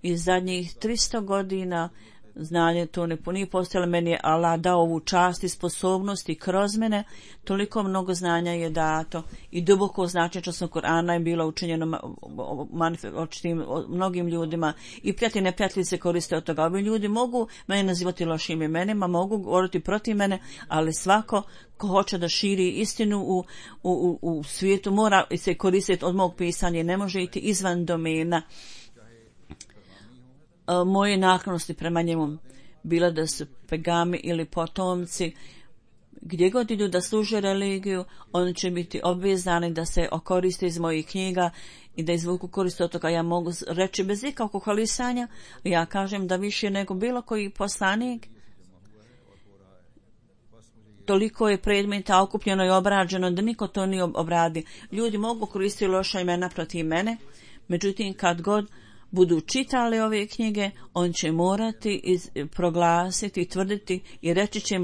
I zadnjih 300 godina znanje to nije postojalo. Meni je Allah dao ovu čast i sposobnost i kroz mene toliko mnogo znanja je dato i duboko značenje časnog Kur'ana je bilo učinjeno mnogim ljudima i prijatelji i neprijatelji se koriste od toga. Ovi ljudi mogu mene nazivati lošim imenima, mogu govoriti protiv mene, ali svako ko hoće da širi istinu u svijetu mora se koristiti od mog pisanja i ne može iti izvan domena moje naklonosti prema njemu, bila da su pegami ili potomci, gdje god idu da služe religiju, oni će biti obvezani da se okoriste iz mojih knjiga i da izvuku korist od toga. Ja mogu reći bez ikakvog hvalisanja, ja kažem da više nego bilo koji poslanik, toliko je predmeta okupljeno i obrađeno da niko to nije obradi. Ljudi mogu koristiti loša imena protiv mene, međutim kad god budu čitali ove knjige, on će morati proglasiti, tvrditi i reći će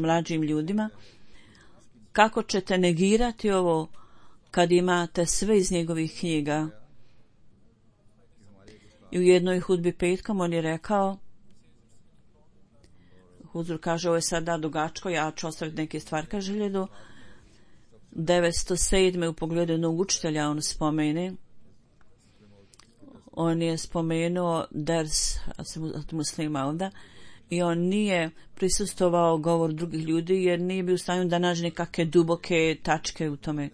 mlađim ljudima kako ćete negirati ovo kad imate sve iz njegovih knjiga. I u jednoj hudbi petkom on je rekao, Huzur kaže, ovo je sada dugačko, ja ću ostaviti neke stvari, kaže 1907. u pogledu jednog učitelja on spomene. On je spomenuo ders od muslima onda i on nije prisustovao govor drugih ljudi jer nije bio u stanju da nađe nekakve duboke tačke u tome.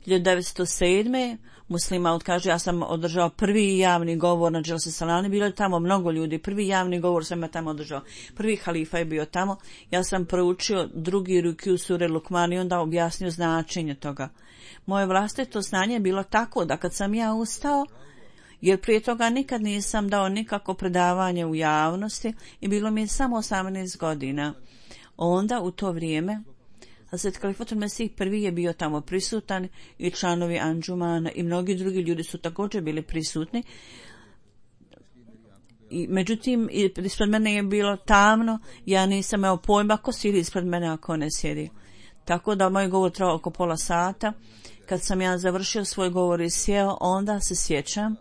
1907. muslima kaže, ja sam održao prvi javni govor na Dželsi Salani, bilo je tamo mnogo ljudi, prvi javni govor sam ja tamo održao, prvi halifa je bio tamo, ja sam proučio drugi rukiju sure Lukman i onda objasnio značenje toga. Moje vlastito znanje je bilo tako da kad sam ja ustao, jer prije toga nikad nisam dao nikako predavanje u javnosti i bilo mi je samo 18 godina. Onda u to vrijeme Hazret Kalifatul Mesih prvi je bio tamo prisutan i članovi Anđumana i mnogi drugi ljudi su također bili prisutni. I, međutim, ispred mene je bilo tamno, ja nisam imao pojma ko sjedi ispred mene, ako ne sjedi. Tako da moj govor trajao oko pola sata. Kad sam ja završio svoj govor i sjeo, onda se sjećam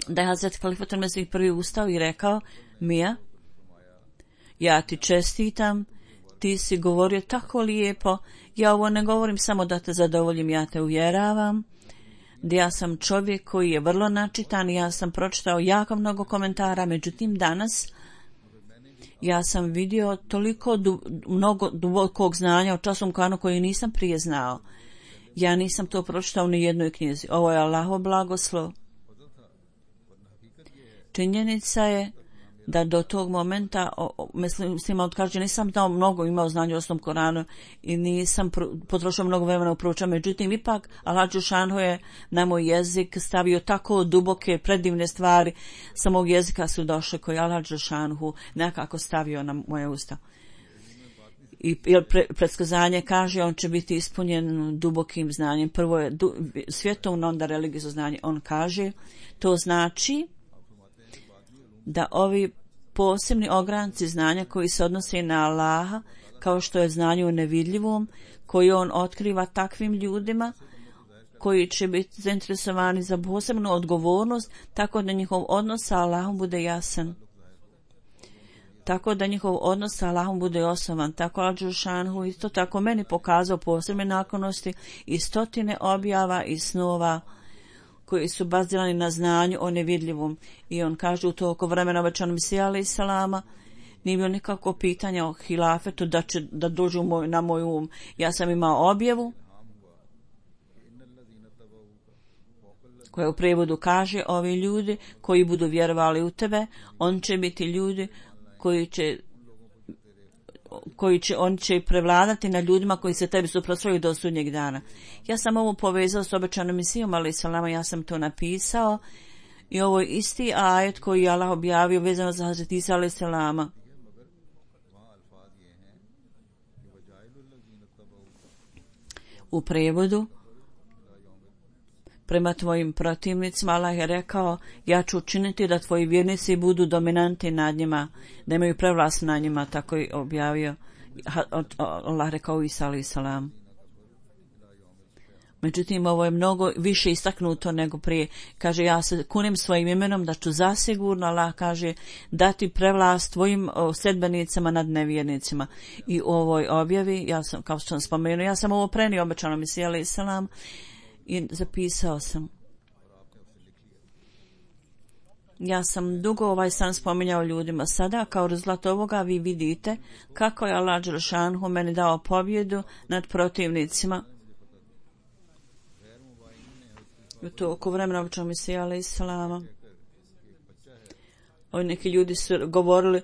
da je Hazret Kalifatul Mesih prvi ustao i rekao, Mija, ja ti čestitam, ti si govorio tako lijepo, ja ovo ne govorim samo da te zadovoljim, ja te uvjeravam, da ja sam čovjek koji je vrlo načitan, ja sam pročitao jako mnogo komentara, međutim danas ja sam vidio toliko mnogo dubokog znanja o časnom Kur'anu koji nisam prije znao. Ja nisam to pročitao ni jednoj knjizi. Ovo je Allahov blagoslov. Činjenica je da do tog momenta, mislim, odkaže, nisam dao mnogo imao znanja o osnovnom Koranu i nisam potrošio mnogo vremena u proučavanju. Međutim, ipak Allah Đelešanu je na moj jezik stavio tako duboke, predivne stvari. Sa mog jezika su došle koji Allah Đelešanu nekako stavio na moje usta. I predskazanje kaže, on će biti ispunjen dubokim znanjem. Prvo je svjetovno, onda religijsko znanje. On kaže, to znači da ovi posebni ogranci znanja koji se odnose na Allaha, kao što je znanje u nevidljivom, koji on otkriva takvim ljudima koji će biti zainteresovani za posebnu odgovornost, tako da njihov odnos sa Allahom bude jasan. Tako da njihov odnos sa Allahom bude osnovan. Tako Allah Đelešanu isto tako meni pokazao posebne naklonosti i stotine objava i snova koji su bazirani na znanju o nevidljivom. I on kaže u toliko vremena obećanog Mesija alejhi selama nije bilo nikako pitanja o hilafetu da dođu na moj um. Ja sam imao objavu koja u prevodu kaže, ovi ljudi koji budu vjerovali u tebe, on će biti ljudi on će prevladati na ljudima koji se tebi suprotstavljaju do sudnjeg dana. Ja sam ovo povezao s obećanom Mesijom alejhi selama, ja sam to napisao i ovo je isti ajet koji je Allah objavio vezano za Hazret Isa alejhi selama. U prevodu prema tvojim protivnicima. Allah je rekao, ja ću učiniti da tvoji vjernici budu dominanti nad njima, da imaju prevlast nad njima, tako je objavio Allah rekao Isa alejhi selam. Međutim, ovo je mnogo više istaknuto nego prije. Kaže, ja se kunem svojim imenom da ću zasigurno, Allah kaže, dati prevlast tvojim sledbenicama nad nevjernicima. I u ovoj objavi, ja sam, kao što sam spomenuo, ja sam ovo prenio obećanom Mesiji alejhi selam i zapisao sam. Ja sam dugo ovaj san spominjao ljudima. Sada, kao rezultat ovoga, vi vidite kako je Allah dželešanhu meni dao pobjedu nad protivnicima. To oko vremena obećanog Mesija alejhi selama. Neki ljudi su govorili,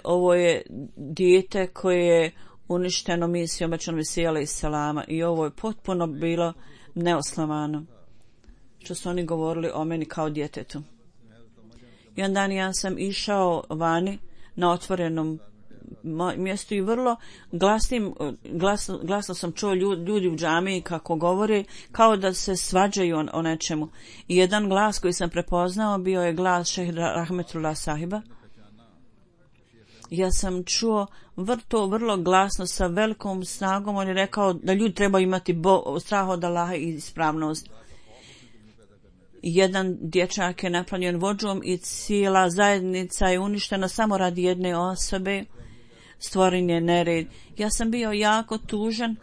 ovo je dijete koje je uništeno misijom obećanog Mesija alejhi selama, i ovo je potpuno bilo neosnovano što su oni govorili o meni kao djetetu. I onda ja sam išao vani na otvorenom mjestu i vrlo glasno sam čuo ljudi u džamiji kako govore, kao da se svađaju o nečemu. I jedan glas koji sam prepoznao bio je glas šejha Rahmetullah sahiba. Ja sam čuo vrlo glasno sa velikom snagom. On je rekao da ljudi trebaju imati strah od Allaha i ispravnost. Jedan dječak je napravljen vođom i cijela zajednica je uništena samo radi jedne osobe. Stvoren je nered. Ja sam bio jako tužan.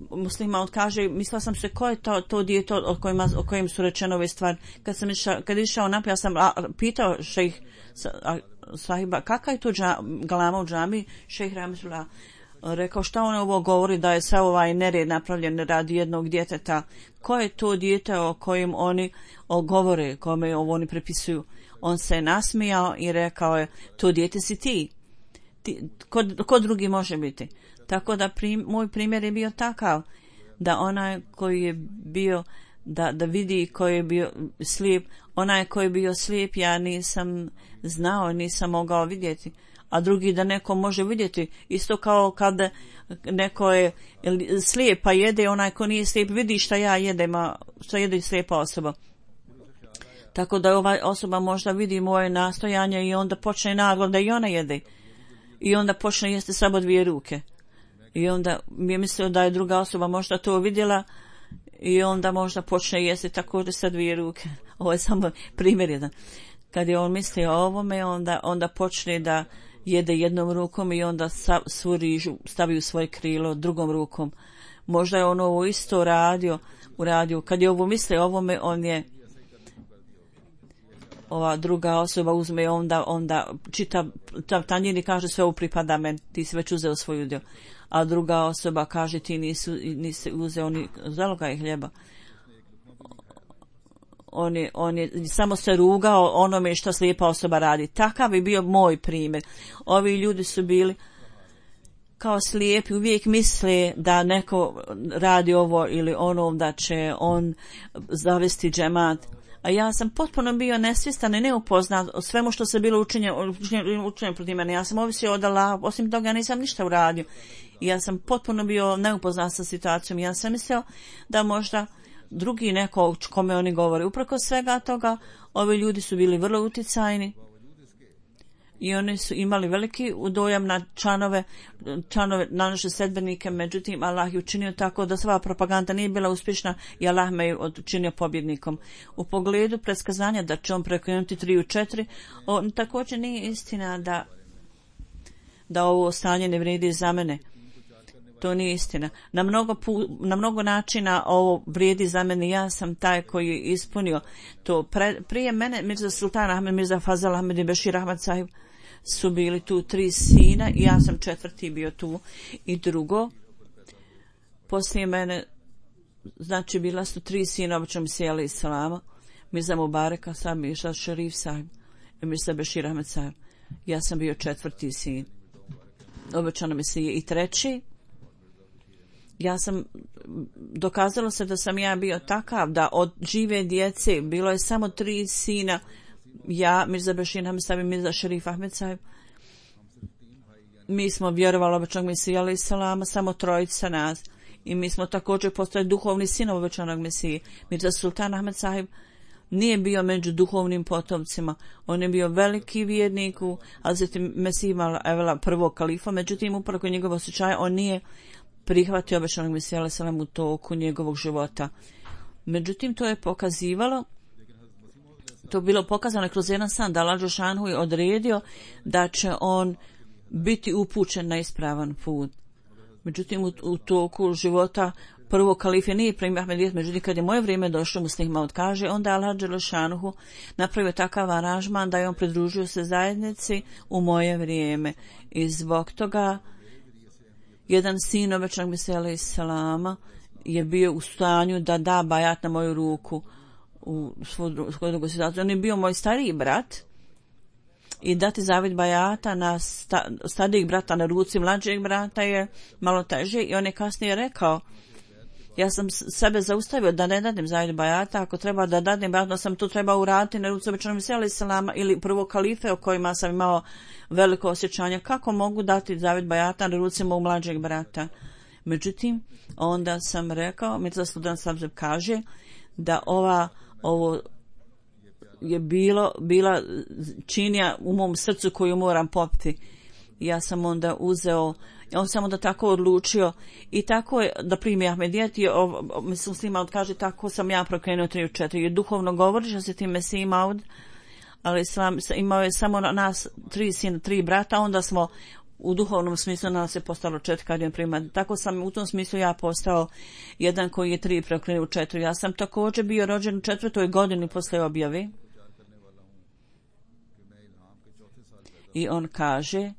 Muslima kaže, mislila sam se ko je to dijete o kojem su rečene ove stvari. Kad išao naprijed, ja sam pitao šejh sahiba, kakva je to galama u džami? Šejh Rahmetullah rekao, šta on ovo govori, da je sav ovaj nered napravljen radi jednog djeteta. Ko je to dijete o kojem oni govore, kome ovo oni prepisuju? On se nasmijao i rekao je, to dijete si ti. Ko drugi može biti? Tako da moj primjer je bio takav, da onaj koji je bio da vidi, koji je bio slijep, onaj koji je bio slijep, ja nisam znao, nisam mogao vidjeti, a drugi da neko može vidjeti, isto kao kada neko je slijep pa jede, onaj ko nije slijep vidi šta ja jedem, a šta jede slijepa osoba. Tako da ova osoba možda vidi moje nastojanje i onda počne naglo da i ona jede. I onda počne jesti samo dvije ruke. I onda mi je mislio da je druga osoba možda to vidjela i onda možda počne jesti također sa dvije ruke. Ovo je samo primjer jedan. Kad je on mislio o ovome, onda počne da jede jednom rukom i onda svu rižu stavi u svoje krilo drugom rukom. Možda je on ovo isto uradio. Kad je ovo mislio o ovome, on je ova druga osoba uzme i onda čita tanjir i kaže, sve ovo pripada meni, ti si već uzeo svoju dio. A druga osoba kaže, ti nisi uzeo ni zalogaj hljeba. On je samo se rugao onome što slijepa osoba radi. Takav je bio moj primjer. Ovi ljudi su bili kao slijepi, uvijek misle da neko radi ovo ili ono, da će on zavesti džemat. A ja sam potpuno bio nesvjestan i neupoznat o svemu što se bilo učinjeno protiv mene. Ja sam ovisio od Allaha, osim toga nisam ništa uradio. I ja sam potpuno bio neupoznat sa situacijom. Ja sam mislio da možda drugi neko kome oni govore. Uprkos svega toga, ovi ljudi su bili vrlo uticajni i oni su imali veliki dojam na članove na naše sledbenike. Međutim, Allah je učinio tako da sva propaganda nije bila uspješna i Allah me je učinio pobjednikom. U pogledu predskazanja da će on preokrenuti 3 u 4, također nije istina da ovo stanje ne vrijedi za mene. To nije istina. Na mnogo načina ovo vrijedi za mene. Ja sam taj koji je ispunio to. Prije mene Mirza Sultan Ahmed, Mirza Fazal Ahmed i Bešir Ahmad sahib su bili tu 3 sina i ja sam 4. bio tu. I drugo, poslije mene, znači bila su 3 sina obećanog Mesija alejhi selama, Mirza Mubareka sahib, Mirza Šerif sahib i Mirza Bešir Ahmed sahib. Ja sam bio 4. sin obećanog Mesije. I 3. ja sam, dokazalo se da sam ja bio takav da od žive djece bilo je samo 3 sina, ja, Mirza Bešir Ahmed sahib i Mirza Šerif Ahmed sahib. Mi smo vjerovali obećanog Mesija alejhi selama, samo 3 nas. i mi smo također postali duhovni sinovi obećanog Mesije. Mirza Sultan Ahmed Sahib nije bio među duhovnim potomcima. On je bio veliki vjernik u Hazreti Mesih Evela, prvog kalifa, međutim upravo njegovo osjećaje on nije prihvatio obećanog Mesija alejhi selam u toku njegovog života. Međutim, to je pokazivalo, to bilo pokazano kroz jedan san da Allah dželešanu je odredio da će on biti upućen na ispravan put. Međutim, u toku života prvog kalife nije primio Ahmedijet, međutim kad je moje vrijeme došlo, Muslih Maud kaže, onda Allah dželešanu napravio takav aranžman da je on pridružio se zajednici u moje vrijeme. I zbog toga jedan sin obećanog Mesija alejhi selama je bio u stanju da da bajat na moju ruku u svoju drugu situaciju. On je bio moj stariji brat i dati zavjet bajata na starijeg brata na ruci mlađeg brata je malo teže i on je kasnije rekao, ja sam sebe zaustavio da ne dadim zavjet bajata, ako treba da dadim bajata, sam to trebao uraditi na ruci obećanog Mesija alejhi selama ili prvo kalife o kojima sam imao veliko osjećanje, kako mogu dati zavjet bajata na ruci mog mlađeg brata. Međutim, onda sam rekao, Mirza Sultan Sabzeb kaže da ovo je bila činija u mom srcu koju moram popiti. Ja sam onda uzeo, on sam onda tako odlučio i tako je da primi Ahmedijet i Muslih Maud kaže tako sam ja prokrenuo 3 u 4. I duhovno govori što se tim Mesih Maud, ali imao je samo nas 3 sina, 3 brata, onda smo u duhovnom smislu nas je postalo 4 kad je prima. Tako sam u tom smislu ja postao jedan koji je 3 prokrenuo u 4. Ja sam također bio rođen u 4. godini posle objave. I on kaže,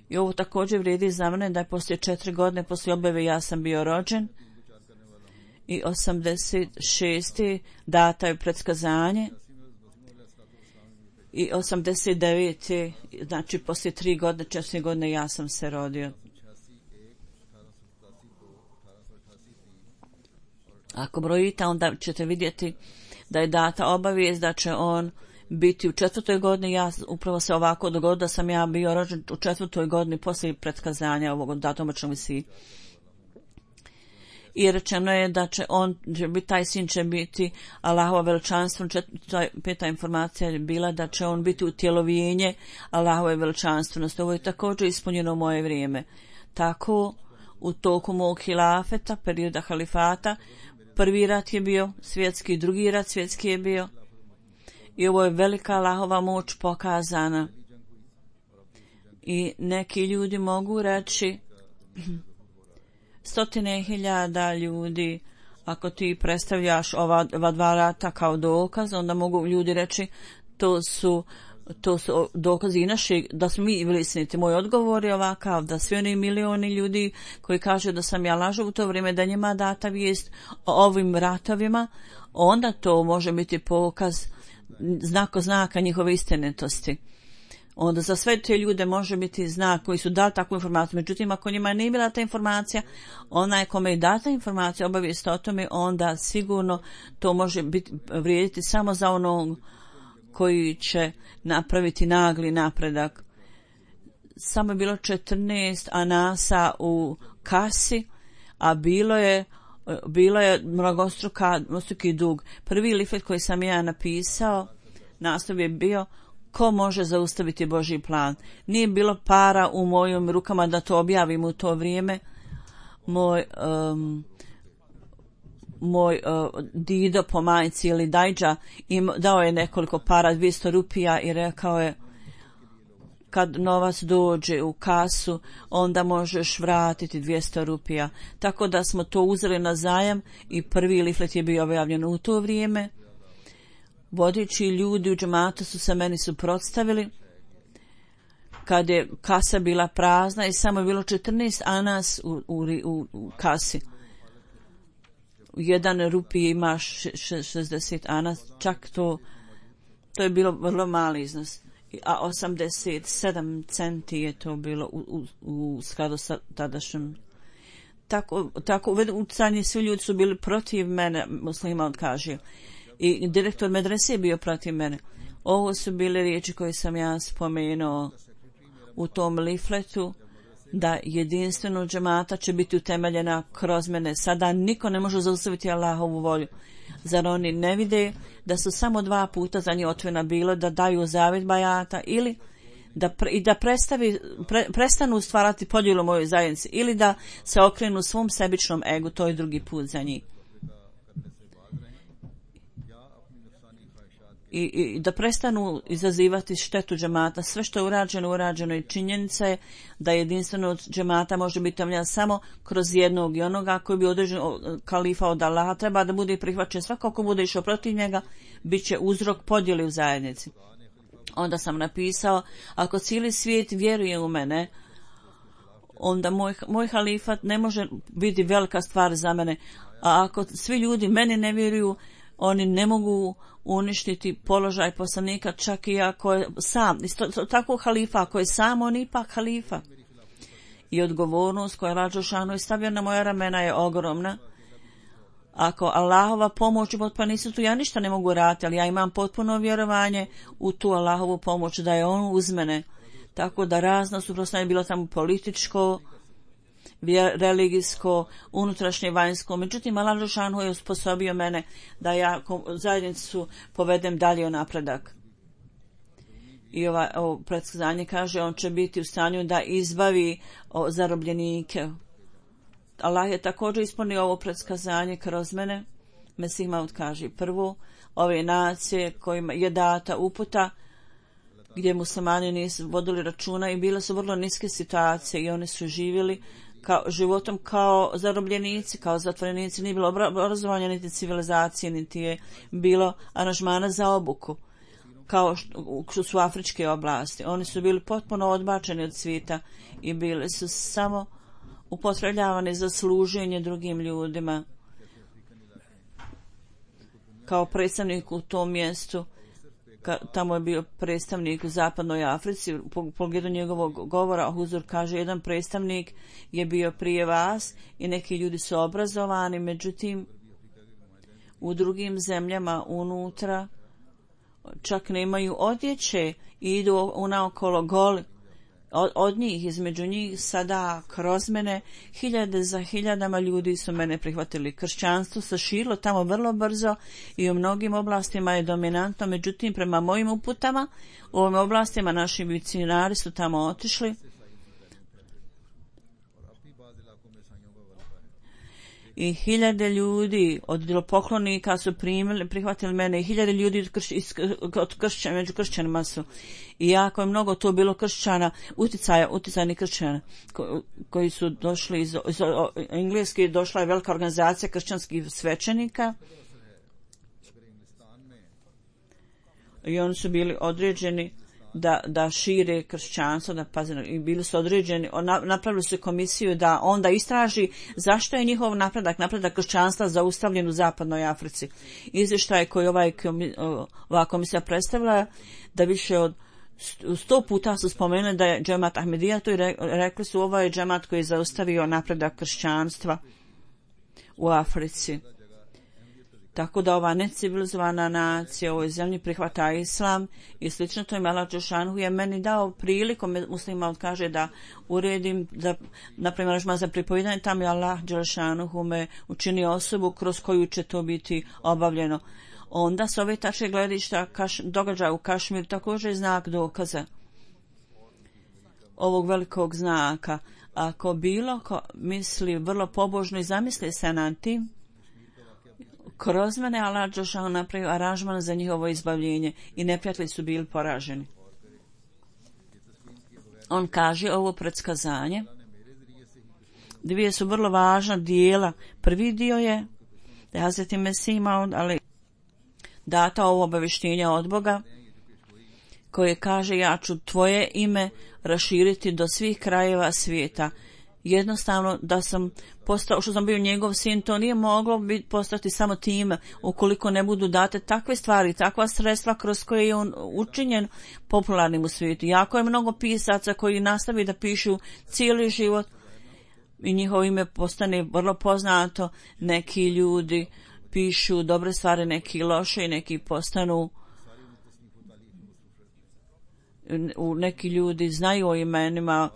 i ovo također vrijedi za mene da je poslije 4 godine poslije objave ja sam bio rođen i 86. data je predskazanje i 89. znači poslije 3 godine, 4 godine ja sam se rodio. Ako brojite, onda ćete vidjeti da je data obavijest da će on biti u 4. godini. Ja upravo se ovako dogodilo da sam ja bio rođen u 4. godini poslije predskazanja ovog datuma Mesiji. I rečeno je da će taj sin će biti Allahovo veličanstvo. 5. informacija je bila da će on biti utjelovljenje Allahove veličanstvenosti. Ovo je također ispunjeno u moje vrijeme. Tako u toku mog hilafeta, perioda halifata, prvi rat je bio svjetski, drugi rat svjetski je bio. I ovo je velika Allahova moć pokazana. I neki ljudi mogu reći 100.000 ljudi, ako ti predstavljaš ova 2 rata kao dokaz, onda mogu ljudi reći to su dokazi naši da smo mi bili istiniti. Moj odgovor je ovakav, da svi oni milioni ljudi koji kažu da sam ja lažu u to vrijeme, da njima data vijest o ovim ratovima, onda to može biti pokaz znaka njihove istinitosti. Onda za sve te ljude može biti znak koji su dali takvu informaciju. Međutim, ako njima nije bila ta informacija, onaj kome je data informacija, obavijest o tome, onda sigurno to može vrijediti samo za onog koji će napraviti nagli napredak. Samo je bilo 14 anasa u kasi, a bilo je mnogostruki dug. Prvi lifet koji sam ja napisao, naslov je bio ko može zaustaviti Božji plan. Nije bilo para u mojim rukama da to objavim u to vrijeme. Moj dido po majci ili dajđa dao je nekoliko para, 200 rupija i rekao je kad novac dođe u kasu, onda možeš vratiti 200 rupija. Tako da smo to uzeli na zajam i prvi liflet je bio objavljen u to vrijeme. Vodeći ljudi u džematu su se meni suprotstavili kad je kasa bila prazna i samo je bilo 14 anas u kasi. 1 rupij ima 60 anas, čak to je bilo vrlo mali iznos. A 87 centi je to bilo u skladu sa tadašnjim. Tako utjecani svi ljudi su bili protiv mene, Muslih Maud kaže. I direktor medrese je bio protiv mene. Ovo su bile riječi koje sam ja spomenuo u tom lifletu da jedinstveno džemata će biti utemeljena kroz mene. Sada niko ne može zaustaviti Allahovu volju. Zar oni ne vide da su samo 2 puta za njih otvorena bilo da daju zavjet bajata ili da prestanu stvarati podjelu mojoj zajednici ili da se okrenu svom sebičnom egu, to je drugi put za njih. I da prestanu izazivati štetu džemata. Sve što je urađeno i činjenica je da jedinstveno džemata može biti omljan samo kroz jednog i onoga koji bi određen kalifa od Allaha treba da bude prihvaćen. Svako ko bude išao protiv njega bit će uzrok podjeli u zajednici. Onda sam napisao, ako cijeli svijet vjeruje u mene, onda moj halifat ne može biti velika stvar za mene. A ako svi ljudi meni ne vjeruju, oni ne mogu uništiti položaj poslanika, čak i ako je sam. Tako halifa, ako je sam, on ipak halifa. I odgovornost koja Rađo Šanu je stavio na moja ramena je ogromna. Ako Allahova pomoć i potpora nisu tu, ja ništa ne mogu raditi, ali ja imam potpuno vjerovanje u tu Allahovu pomoć, da je on uz mene. Tako da razno suprotstavljanje bilo tamo političko, religijsko, unutrašnje, vanjsko. Međutim, Allah Žešanu je usposobio mene da ja zajednicu povedem dalje u napredak. I ovo predskazanje kaže, on će biti u stanju da izbavi zarobljenike. Allah je također ispunio ovo predskazanje kroz mene. Mesih Maud kaže, prvo, ove nacije kojima je data uputa, gdje muslimani nisu vodili računa i bile su vrlo niske situacije i oni su živjeli životom kao zarobljenici, kao zatvorenici. Nije bilo obrazovanja, niti civilizacije, niti je bilo aranžmana za obuku, kao što su afričke oblasti. Oni su bili potpuno odbačeni od svijeta i bili su samo upotrebljavani za služenje drugim ljudima. Kao predstavnik u tom mjestu, tamo je bio predstavnik u zapadnoj Africi, u pogledu njegovog govora Huzur kaže, jedan predstavnik je bio prije vas i neki ljudi su obrazovani, međutim u drugim zemljama unutra čak nemaju odjeće i idu unaokolo goli. Od njih, između njih sada kroz mene, hiljade za hiljadama ljudi su mene prihvatili. Kršćanstvo se širilo tamo vrlo brzo i u mnogim oblastima je dominantno, međutim prema mojim uputama u ovim oblastima naši misionari su tamo otišli i hiljade ljudi od idolopoklonika su prihvatili mene i hiljade ljudi među kršćanima su. I jako je mnogo to bilo kršćana, uticajnih kršćana koji su došli iz Engleske, došla je velika organizacija kršćanskih svećenika i oni su bili određeni da šire kršćanstvo, da paze, i bili su određeni, napravili su komisiju da onda istraži zašto je njihov napredak kršćanstva zaustavljen u zapadnoj Africi. Izvještaj koji ova komisija predstavlja, da više od 100 puta su spomenuli da je džemat Ahmedija tu i rekli su ovo je džemat koji je zaustavio napredak kršćanstva u Africi. Tako da ova necivilizowana nacija u ovoj zemlji prihvata islam i slično to je Allah Đelešanu je meni dao priliku, muslima kaže da uredim, da napravim aranžman za pripovijedanje, tam je Allah Đelešanu me učinio osobu kroz koju će to biti obavljeno. Onda s ove tačke gledišta događaja u Kašmir također je znak dokaza ovog velikog znaka. Ako bilo ko misli vrlo pobožno i zamisli se nad tim, kroz mene Allah Đelešanu napravio aranžman za njihovo izbavljenje i neprijatelji su bili poraženi. On kaže ovo predskazanje. Dvije su vrlo važna dijela. Prvi dio je da Hazreti Mesih imao data ovo obavještenje od Boga koje kaže ja ću tvoje ime raširiti do svih krajeva svijeta. Jednostavno da sam postao, što sam bio njegov sin, to nije moglo postati samo tim ukoliko ne budu date takve stvari, takva sredstva kroz koje je on učinjen popularnim u svijetu. Jako je mnogo pisaca koji nastavi da pišu cijeli život i njihovo ime postane vrlo poznato. Neki ljudi pišu dobre stvari, neki loše i neki postanu, neki ljudi znaju o imenima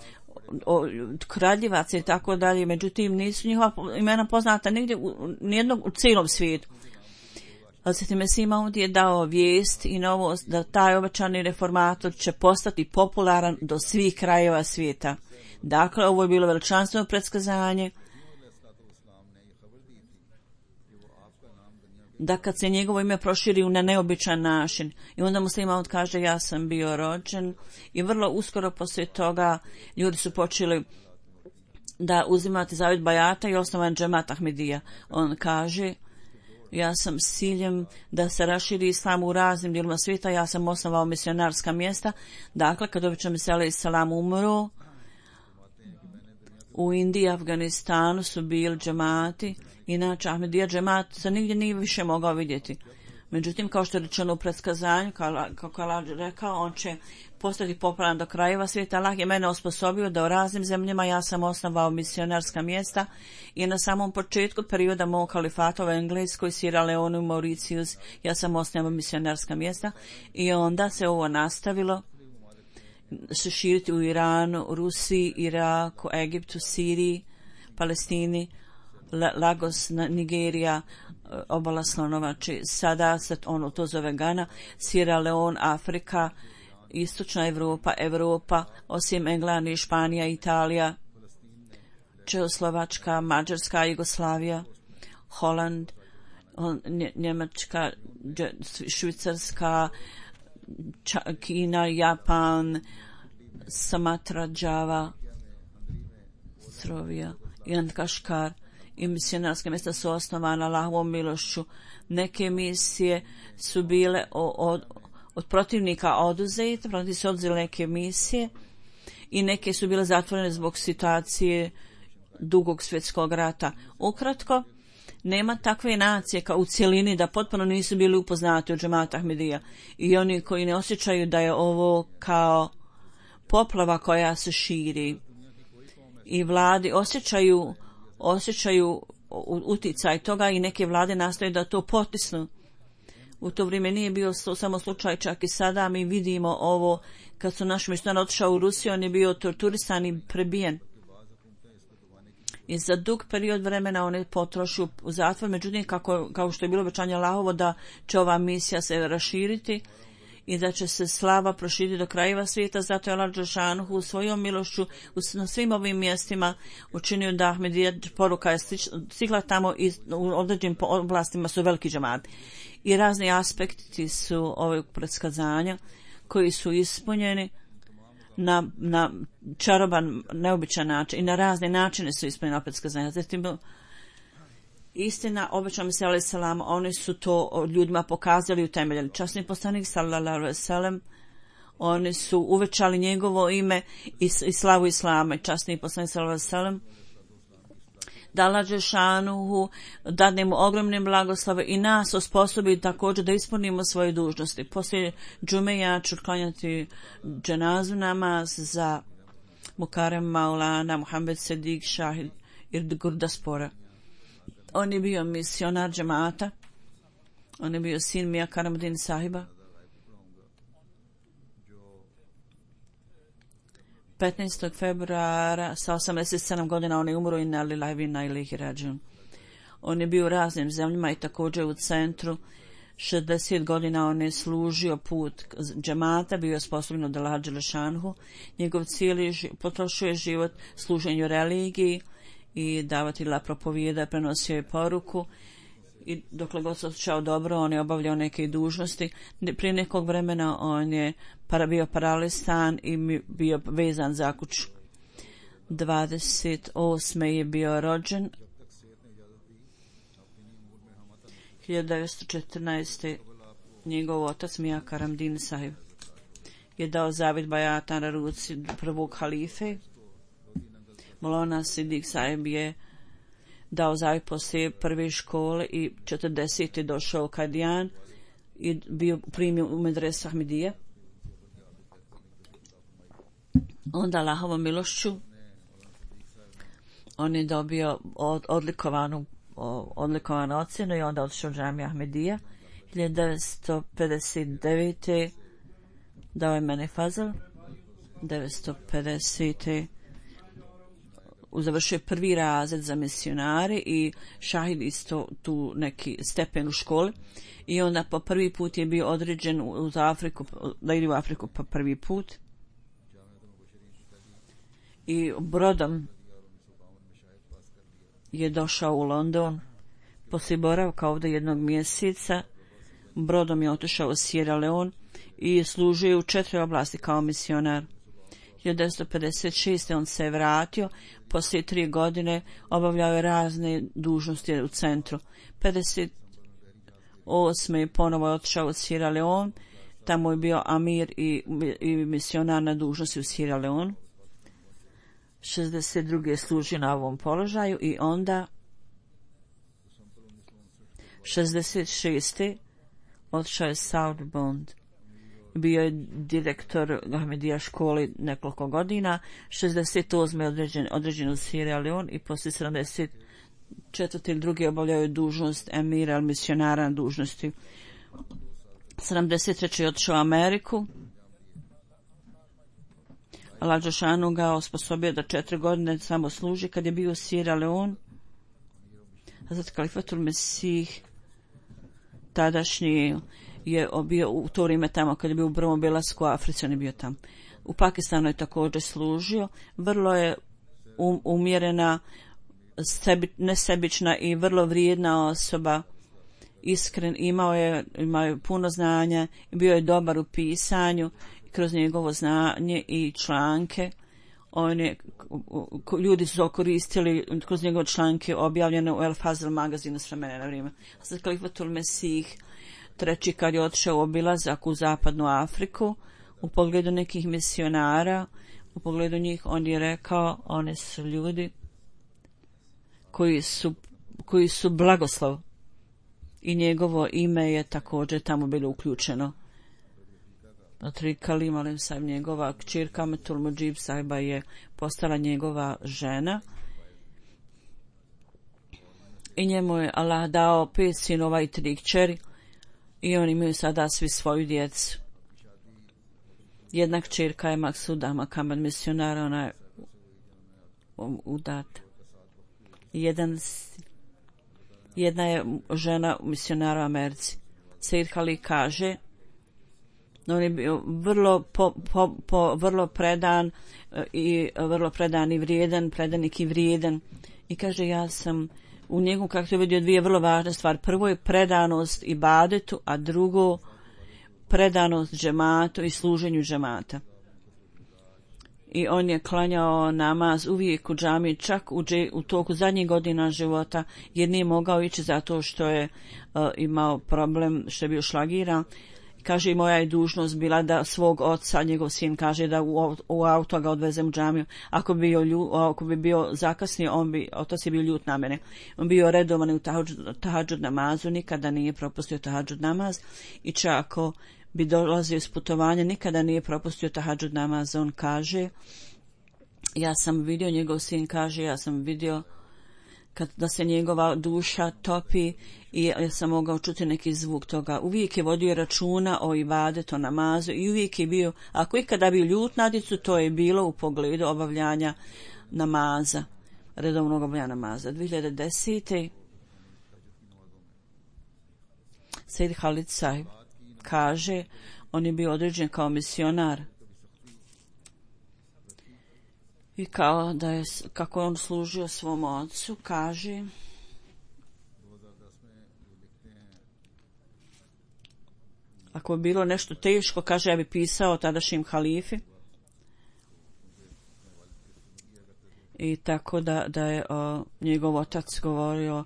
kraljevaca i tako dalje, međutim nisu njihova imena poznata nigdje nijednog u cijelom svijetu. Hazret Mesih Maud je dao vijest i novost da taj obećani reformator će postati popularan do svih krajeva svijeta. Dakle, ovo je bilo veličanstveno predskazanje da kad se njegovo ime proširi na neobičan način. I onda Mesih Maud kaže ja sam bio rođen i vrlo uskoro poslije toga ljudi su počeli da uzimati zavjet bajata i osnovan džemat Ahmedija. On kaže ja sam s ciljem da se raširi islam u raznim dijelima svijeta, ja sam osnovao misionarska mjesta. Dakle, kad obično Mesih alejhi selam umro, u Indiji i Afganistanu su bili džemati, inače Ahmedija džemat se nigdje nije više mogao vidjeti. Međutim, kao što je rečeno u predskazanju, kako je Allah rekao, on će postati popularan do krajeva svijeta. Allah je mene osposobio da u raznim zemljama ja sam osnovao misionarska mjesta i na samom početku perioda mog kalifata u Engleskoj, Sierra Leone, Mauritius, ja sam osnovao misionarska mjesta i onda se ovo nastavilo se širiti u Iranu, Rusiji, Iraku, Egiptu, Siriji, Palestini, Lagos, Nigerija, obala Slonovači, sada se to zove Gana, Sierra Leone, Afrika, Istočna Evropa, osim Englandi, Španija, Italija, Čehoslovačka, Mađarska, Jugoslavija, Holand, Njemačka, Švicarska, Kina, Japan, Sumatra, Java, Strovija i Antkaškar. I misionarske mjesta su osnovana Allahovom milošću. Neke misije su bile od protivnika oduzete, protiv su oduzeli neke misije i neke su bile zatvorene zbog situacije Drugog svjetskog rata. Ukratko, nema takve nacije kao u cjelini da potpuno nisu bili upoznati od džemata Ahmedija i oni koji ne osjećaju da je ovo kao poplava koja se širi i vladi osjećaju uticaj toga i neke vlade nastoje da to potisnu. U to vrijeme nije bio samo slučaj, čak i sada mi vidimo ovo, kad su naš misionar otišao u Rusiju, on je bio torturisan i prebijen. I za dug period vremena on je potrošio u zatvor, međutim kao što je bilo obećanje Allahovo da će ova misija se raširiti i da će se slava proširiti do krajeva svijeta, zato je Allah dželešanohu svojom milošću na svim ovim mjestima učinio da Ahmedija poruka je stigla tamo i u određenim oblastima su veliki džemati. I razni aspekti su ovog predskazanja koji su ispunjeni na čaroban, neobičan način i na razne načine su ispunjeni predskazanja. Zatim istina, obećao Mesih alejhi selam, oni su to ljudima pokazali, utemeljili. Časni poslanik sallallahu alejhi ve sellem, oni su uvećali njegovo ime i slavu islama. Časni poslanik sallallahu alejhi ve sellem da Allah dželešanohu dadne mu ogromne blagoslove i nas osposobi također da ispunimo svoje dužnosti. Poslije džume ja ću klanjati dženazu namaz za Mukarem Maulana Muhammed Sedik Šahid Gurdaspora. On je bio misionar džemata, on je bio sin Mija Karamuddin sahiba. 15. februara sa 87 godina on je umro i na lillahi wa inna ilaihi rađiun. On je bio u raznim zemljama i također u centru. 60 godina on je služio put džemata, bio je sposoban od Allaha dželešanhu. Njegov cijeli potrošio je život služenju religiji i davatelja propovijeda, prenosio je poruku i dokle god se osjećao dobro, on je obavljao neke dužnosti. Prije nekog vremena on je bio paralisan i bio vezan za kuću. 28. je bio rođen. 1914. njegov otac Mija Karamuddin sahib je dao zavjet bajata na ruci prvog halife. Maulana Sidik sahib je dao zavjet poslije prve škole i 40. je došao u Kadijan i bio primio u medresu Ahmedije. Onda Allahovom milošću on je dobio odlikovanu ocjenu i onda otišao u džamiju Ahmedija. 1959. dao je mene fazal. 1950. završio prvi razred za misionare i šahid isto tu neki stepen u školi i onda po prvi put je bio određen uz Afriku, da ide u Afriku po prvi put i brodom je došao u London. Poslije boravka ovdje jednog mjeseca brodom je otišao u Sierra Leone i služio u 4 oblasti kao misionar. 1956. on se je vratio, poslije 3 godine obavljao je razne dužnosti u centru. 58. je ponovo otišao u Sierra Leone, tamo je bio amir i misionar na dužnosti u Sierra Leone. 62. je služio na ovom položaju i onda 66. otišao je South Bend. Bio je direktor Ahmedija školi nekoliko godina. 68. je određen u Sierra Leone i poslije 74. ili drugi obavljao je dužnost emira ili misionara na dužnosti. 73. je otišao u Ameriku. Allah Đelešanu ga osposobio da 4 godine samo služi kad je bio u Sierra Leone. Hazrat Kalifatul Mesih tadašnji je bio u to vrijeme tamo kad je bio u prvom obilasku u Africi, on je bio tamo. U Pakistanu je također služio. Vrlo je umjerena, nesebična i vrlo vrijedna osoba. Iskren, imao je puno znanja, bio je dobar u pisanju. Kroz njegovo znanje i članke ljudi su koristili kroz njegove članke objavljene u El Fazl magazinu s vremena na vrijeme. Sad Kalifatul Mesih treći kad je otišao u obilazak u zapadnu Afriku u pogledu nekih misionara, u pogledu njih on je rekao one su ljudi koji su blagoslov i njegovo ime je također tamo bilo uključeno. Tri Kalim Alim Sahib, njegova kćerka Metul Mujib Sahiba je postala njegova žena i njemu je Allah dao 5 sinova i 3 kćeri i oni imaju sada svi svoju djecu. Jedna kćerka je Maksuda Makamed misionara, ona je udata. Jedna je žena misionara u Americi. Sejid Khalid kaže on je bio vrlo predan i vrijedan, predanik i vrijedan. I kaže ja sam u njegu kako je vidio 2 vrlo važne stvari. Prvo je predanost ibadetu, a drugo predanost džematu i služenju džemata. I on je klanjao namaz uvijek u džamiji, čak u toku zadnjih godina života, jer nije mogao ići zato što je imao problem, što je bio šlagiran. Kaže i moja je dužnost bila da svog oca, njegov sin kaže da u auto ga odvezem u džamiju. Ako bi bio zakasnio, otac je bio ljut na mene. On bio redovan u tahadžud namazu, nikada nije propustio tahadžud namaz i čak ako bi dolazio iz putovanja, nikada nije propustio tahadžud namaz. On kaže, ja sam vidio, njegov sin kaže, ja sam vidio da se njegova duša topi i ja sam mogao čuti neki zvuk toga. Uvijek je vodio računa o ibadetu, o namazu i uvijek je bio, ako ikada bio ljut na djecu, to je bilo u pogledu obavljanja namaza, redovnog obavljanja namaza. 2010. Sejid Khalid Sahib kaže, on je bio određen kao misionar i kao da je, kako on služio svom ocu, kaže ako je bilo nešto teško, kaže ja bi pisao tadašnjim halifi i tako da je njegov otac govorio,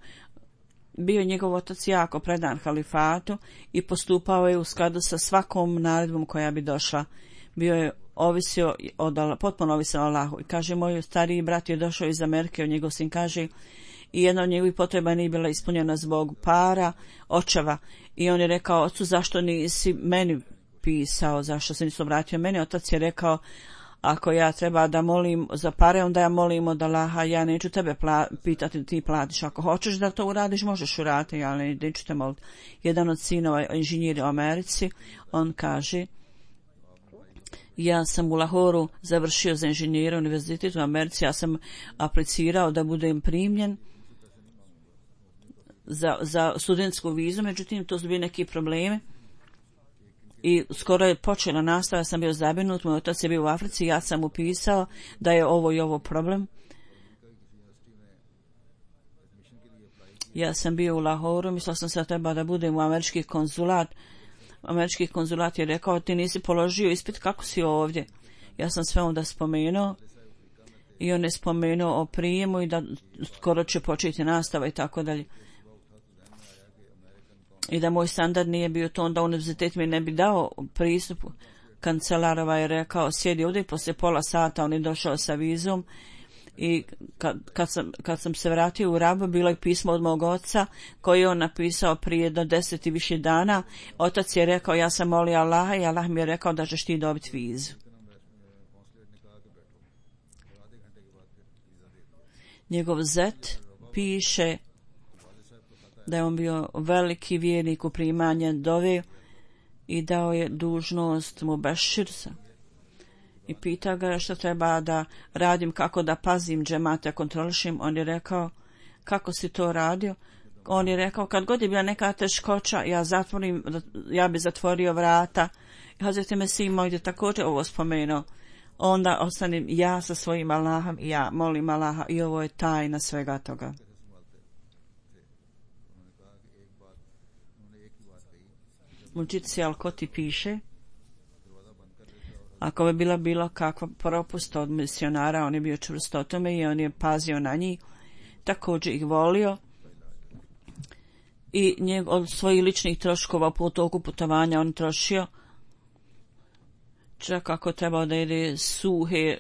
bio njegov otac jako predan halifatu i postupao je u skladu sa svakom naredbom koja bi došla. Bio je ovisio potpuno ovisio o Allahu. I kaže, moj stariji brat je došao iz Amerike, njegov sin kaže, i jedna od njegovih potreba nije bila ispunjena zbog para očeva. I on je rekao, ocu, zašto nisi meni pisao, zašto se nisi obratio meni? Otac je rekao, ako ja treba da molim za pare, onda ja molim od Allaha, ja neću tebe pitati da ti platiš. Ako hoćeš da to uradiš, možeš uraditi, ja neću te moliti. Jedan od sinova inženjera u Americi, on kaže, Ja sam u Lahoru završio za inženjera univerzitet u Americi, ja sam aplicirao da budem primljen za studentsku vizu, međutim to su bili neki problemi i skoro je počela nastava, ja sam bio zabrinut, moj otac je bio u Africi, ja sam upisao da je ovo i ovo problem. Ja sam bio u Lahoru, mislio sam se da treba da budem u američki konzulat. Američki konzulat je rekao, ti nisi položio ispit, kako si ovdje? Ja sam sve onda spomenuo i on je spomenuo o prijemu i da skoro će početi nastava i tako dalje. I da moj standard nije bio to, onda univerzitet mi ne bi dao pristup. Kancelarova je rekao, sjedi ovdje, poslije pola sata on je došao sa vizom i kad sam se vratio u Rabu, bilo je pismo od mog oca koji je on napisao prije do 10 i više dana. Otac je rekao, ja sam molio Allaha i Allah mi je rekao da ćeš ti dobiti vizu. Njegov zet piše da je on bio veliki vjernik u primanje dove i dao je dužnost mu Beširsa. I pita ga što treba da radim, kako da pazim džemate, kontrolišim. On je rekao, kako si to radio? On je rekao, kad god je bila neka teškoća, ja bi zatvorio vrata. Hazreti Mesih moj je također ovo spomenuo. Onda ostanem ja sa svojim Allahom i ja molim Allaha i ovo je tajna svega toga. Muđici Al-Koti piše, ako bi bila bilo kakva propust od misionara, on je bio čvrst o tome i on je pazio na njih, također ih volio i od svojih ličnih troškova po toku putovanja on trošio, čak ako trebao da jede suhe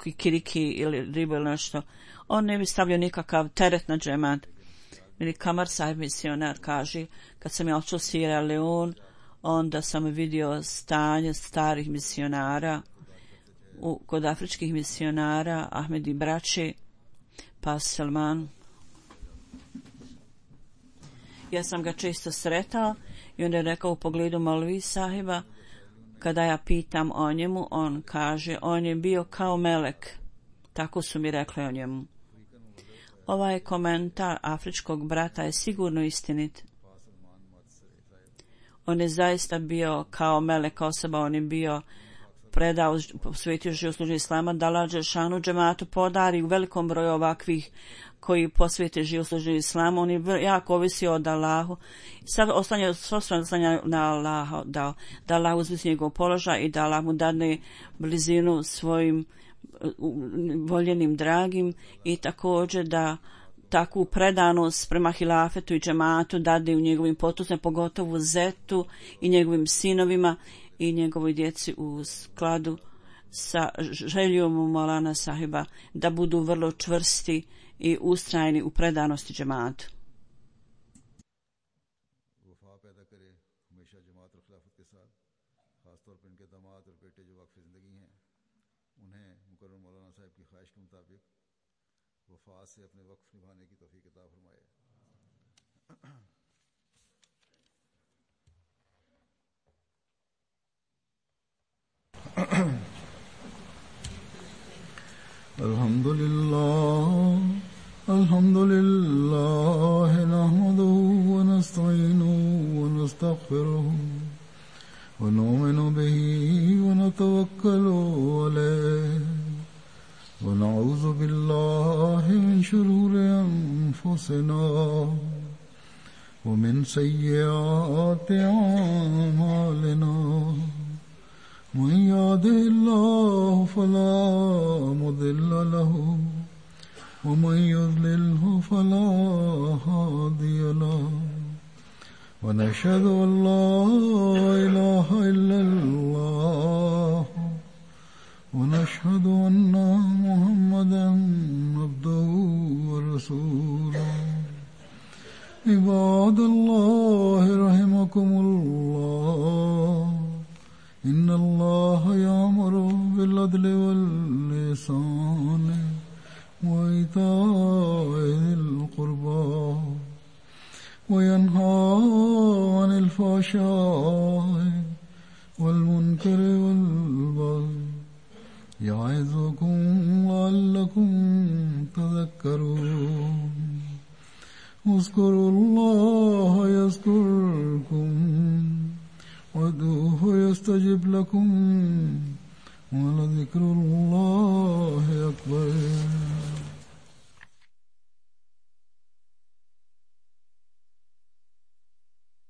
kikiriki ili ribu ili nešto, on ne bi stavio nikakav teret na džemat. Ili Kamar Sahib misionar kaže, kad sam ja otišao Sierra Leone, onda sam vidio stanje starih misionara, kod afričkih misionara, Ahmedi braće, pa Salman. Ja sam ga često sretao i on je rekao u pogledu Maulvi Sahiba, kada ja pitam o njemu, on kaže, on je bio kao melek. Tako su mi rekli o njemu. Ovaj komentar afričkog brata je sigurno istinit. On je zaista bio kao melek osoba, on je bio predao, posvetio život službi islama, da Allah dželešanu džematu podari u velikom broju ovakvih koji posvete život službi islama. On je jako ovisio od Allahu. Sad oslanja na Allaha, da Allah uzvisi njegov položaj i da Allah mu dadne blizinu svojim voljenim dragim i također da takvu predanost prema hilafetu i džematu dade u njegovim potomcima, pogotovo zetu i njegovim sinovima i njegovoj djeci u skladu sa željom Maulana Sahiba da budu vrlo čvrsti i ustrajni u predanosti džematu. से अपने वक्फ निभाने की तौफीक अता फरमाए। अल्हम्दुलिल्लाह नहमदुहु व नस्तईनुहु व नस्तगफिरुहु व नु'मिनु बिही व नतवक्कलु अलैहि ونعوذ بالله من شرور أنفسنا ومن سيئات أعمالنا من يهده الله فلا مضل له ومن يضلله فلا هادي له ونشهد أن لا إله إلا الله ونشهد أن محمدا عبده ورسوله عباد الله رحمكم الله إن الله يأمر بالعدل والإحسان وإيتاء ذي القربى وينهى عن الفحشاء والمنكر والبغي اذكروا الله يذكركم وادعوه يستجب لكم ولذكر الله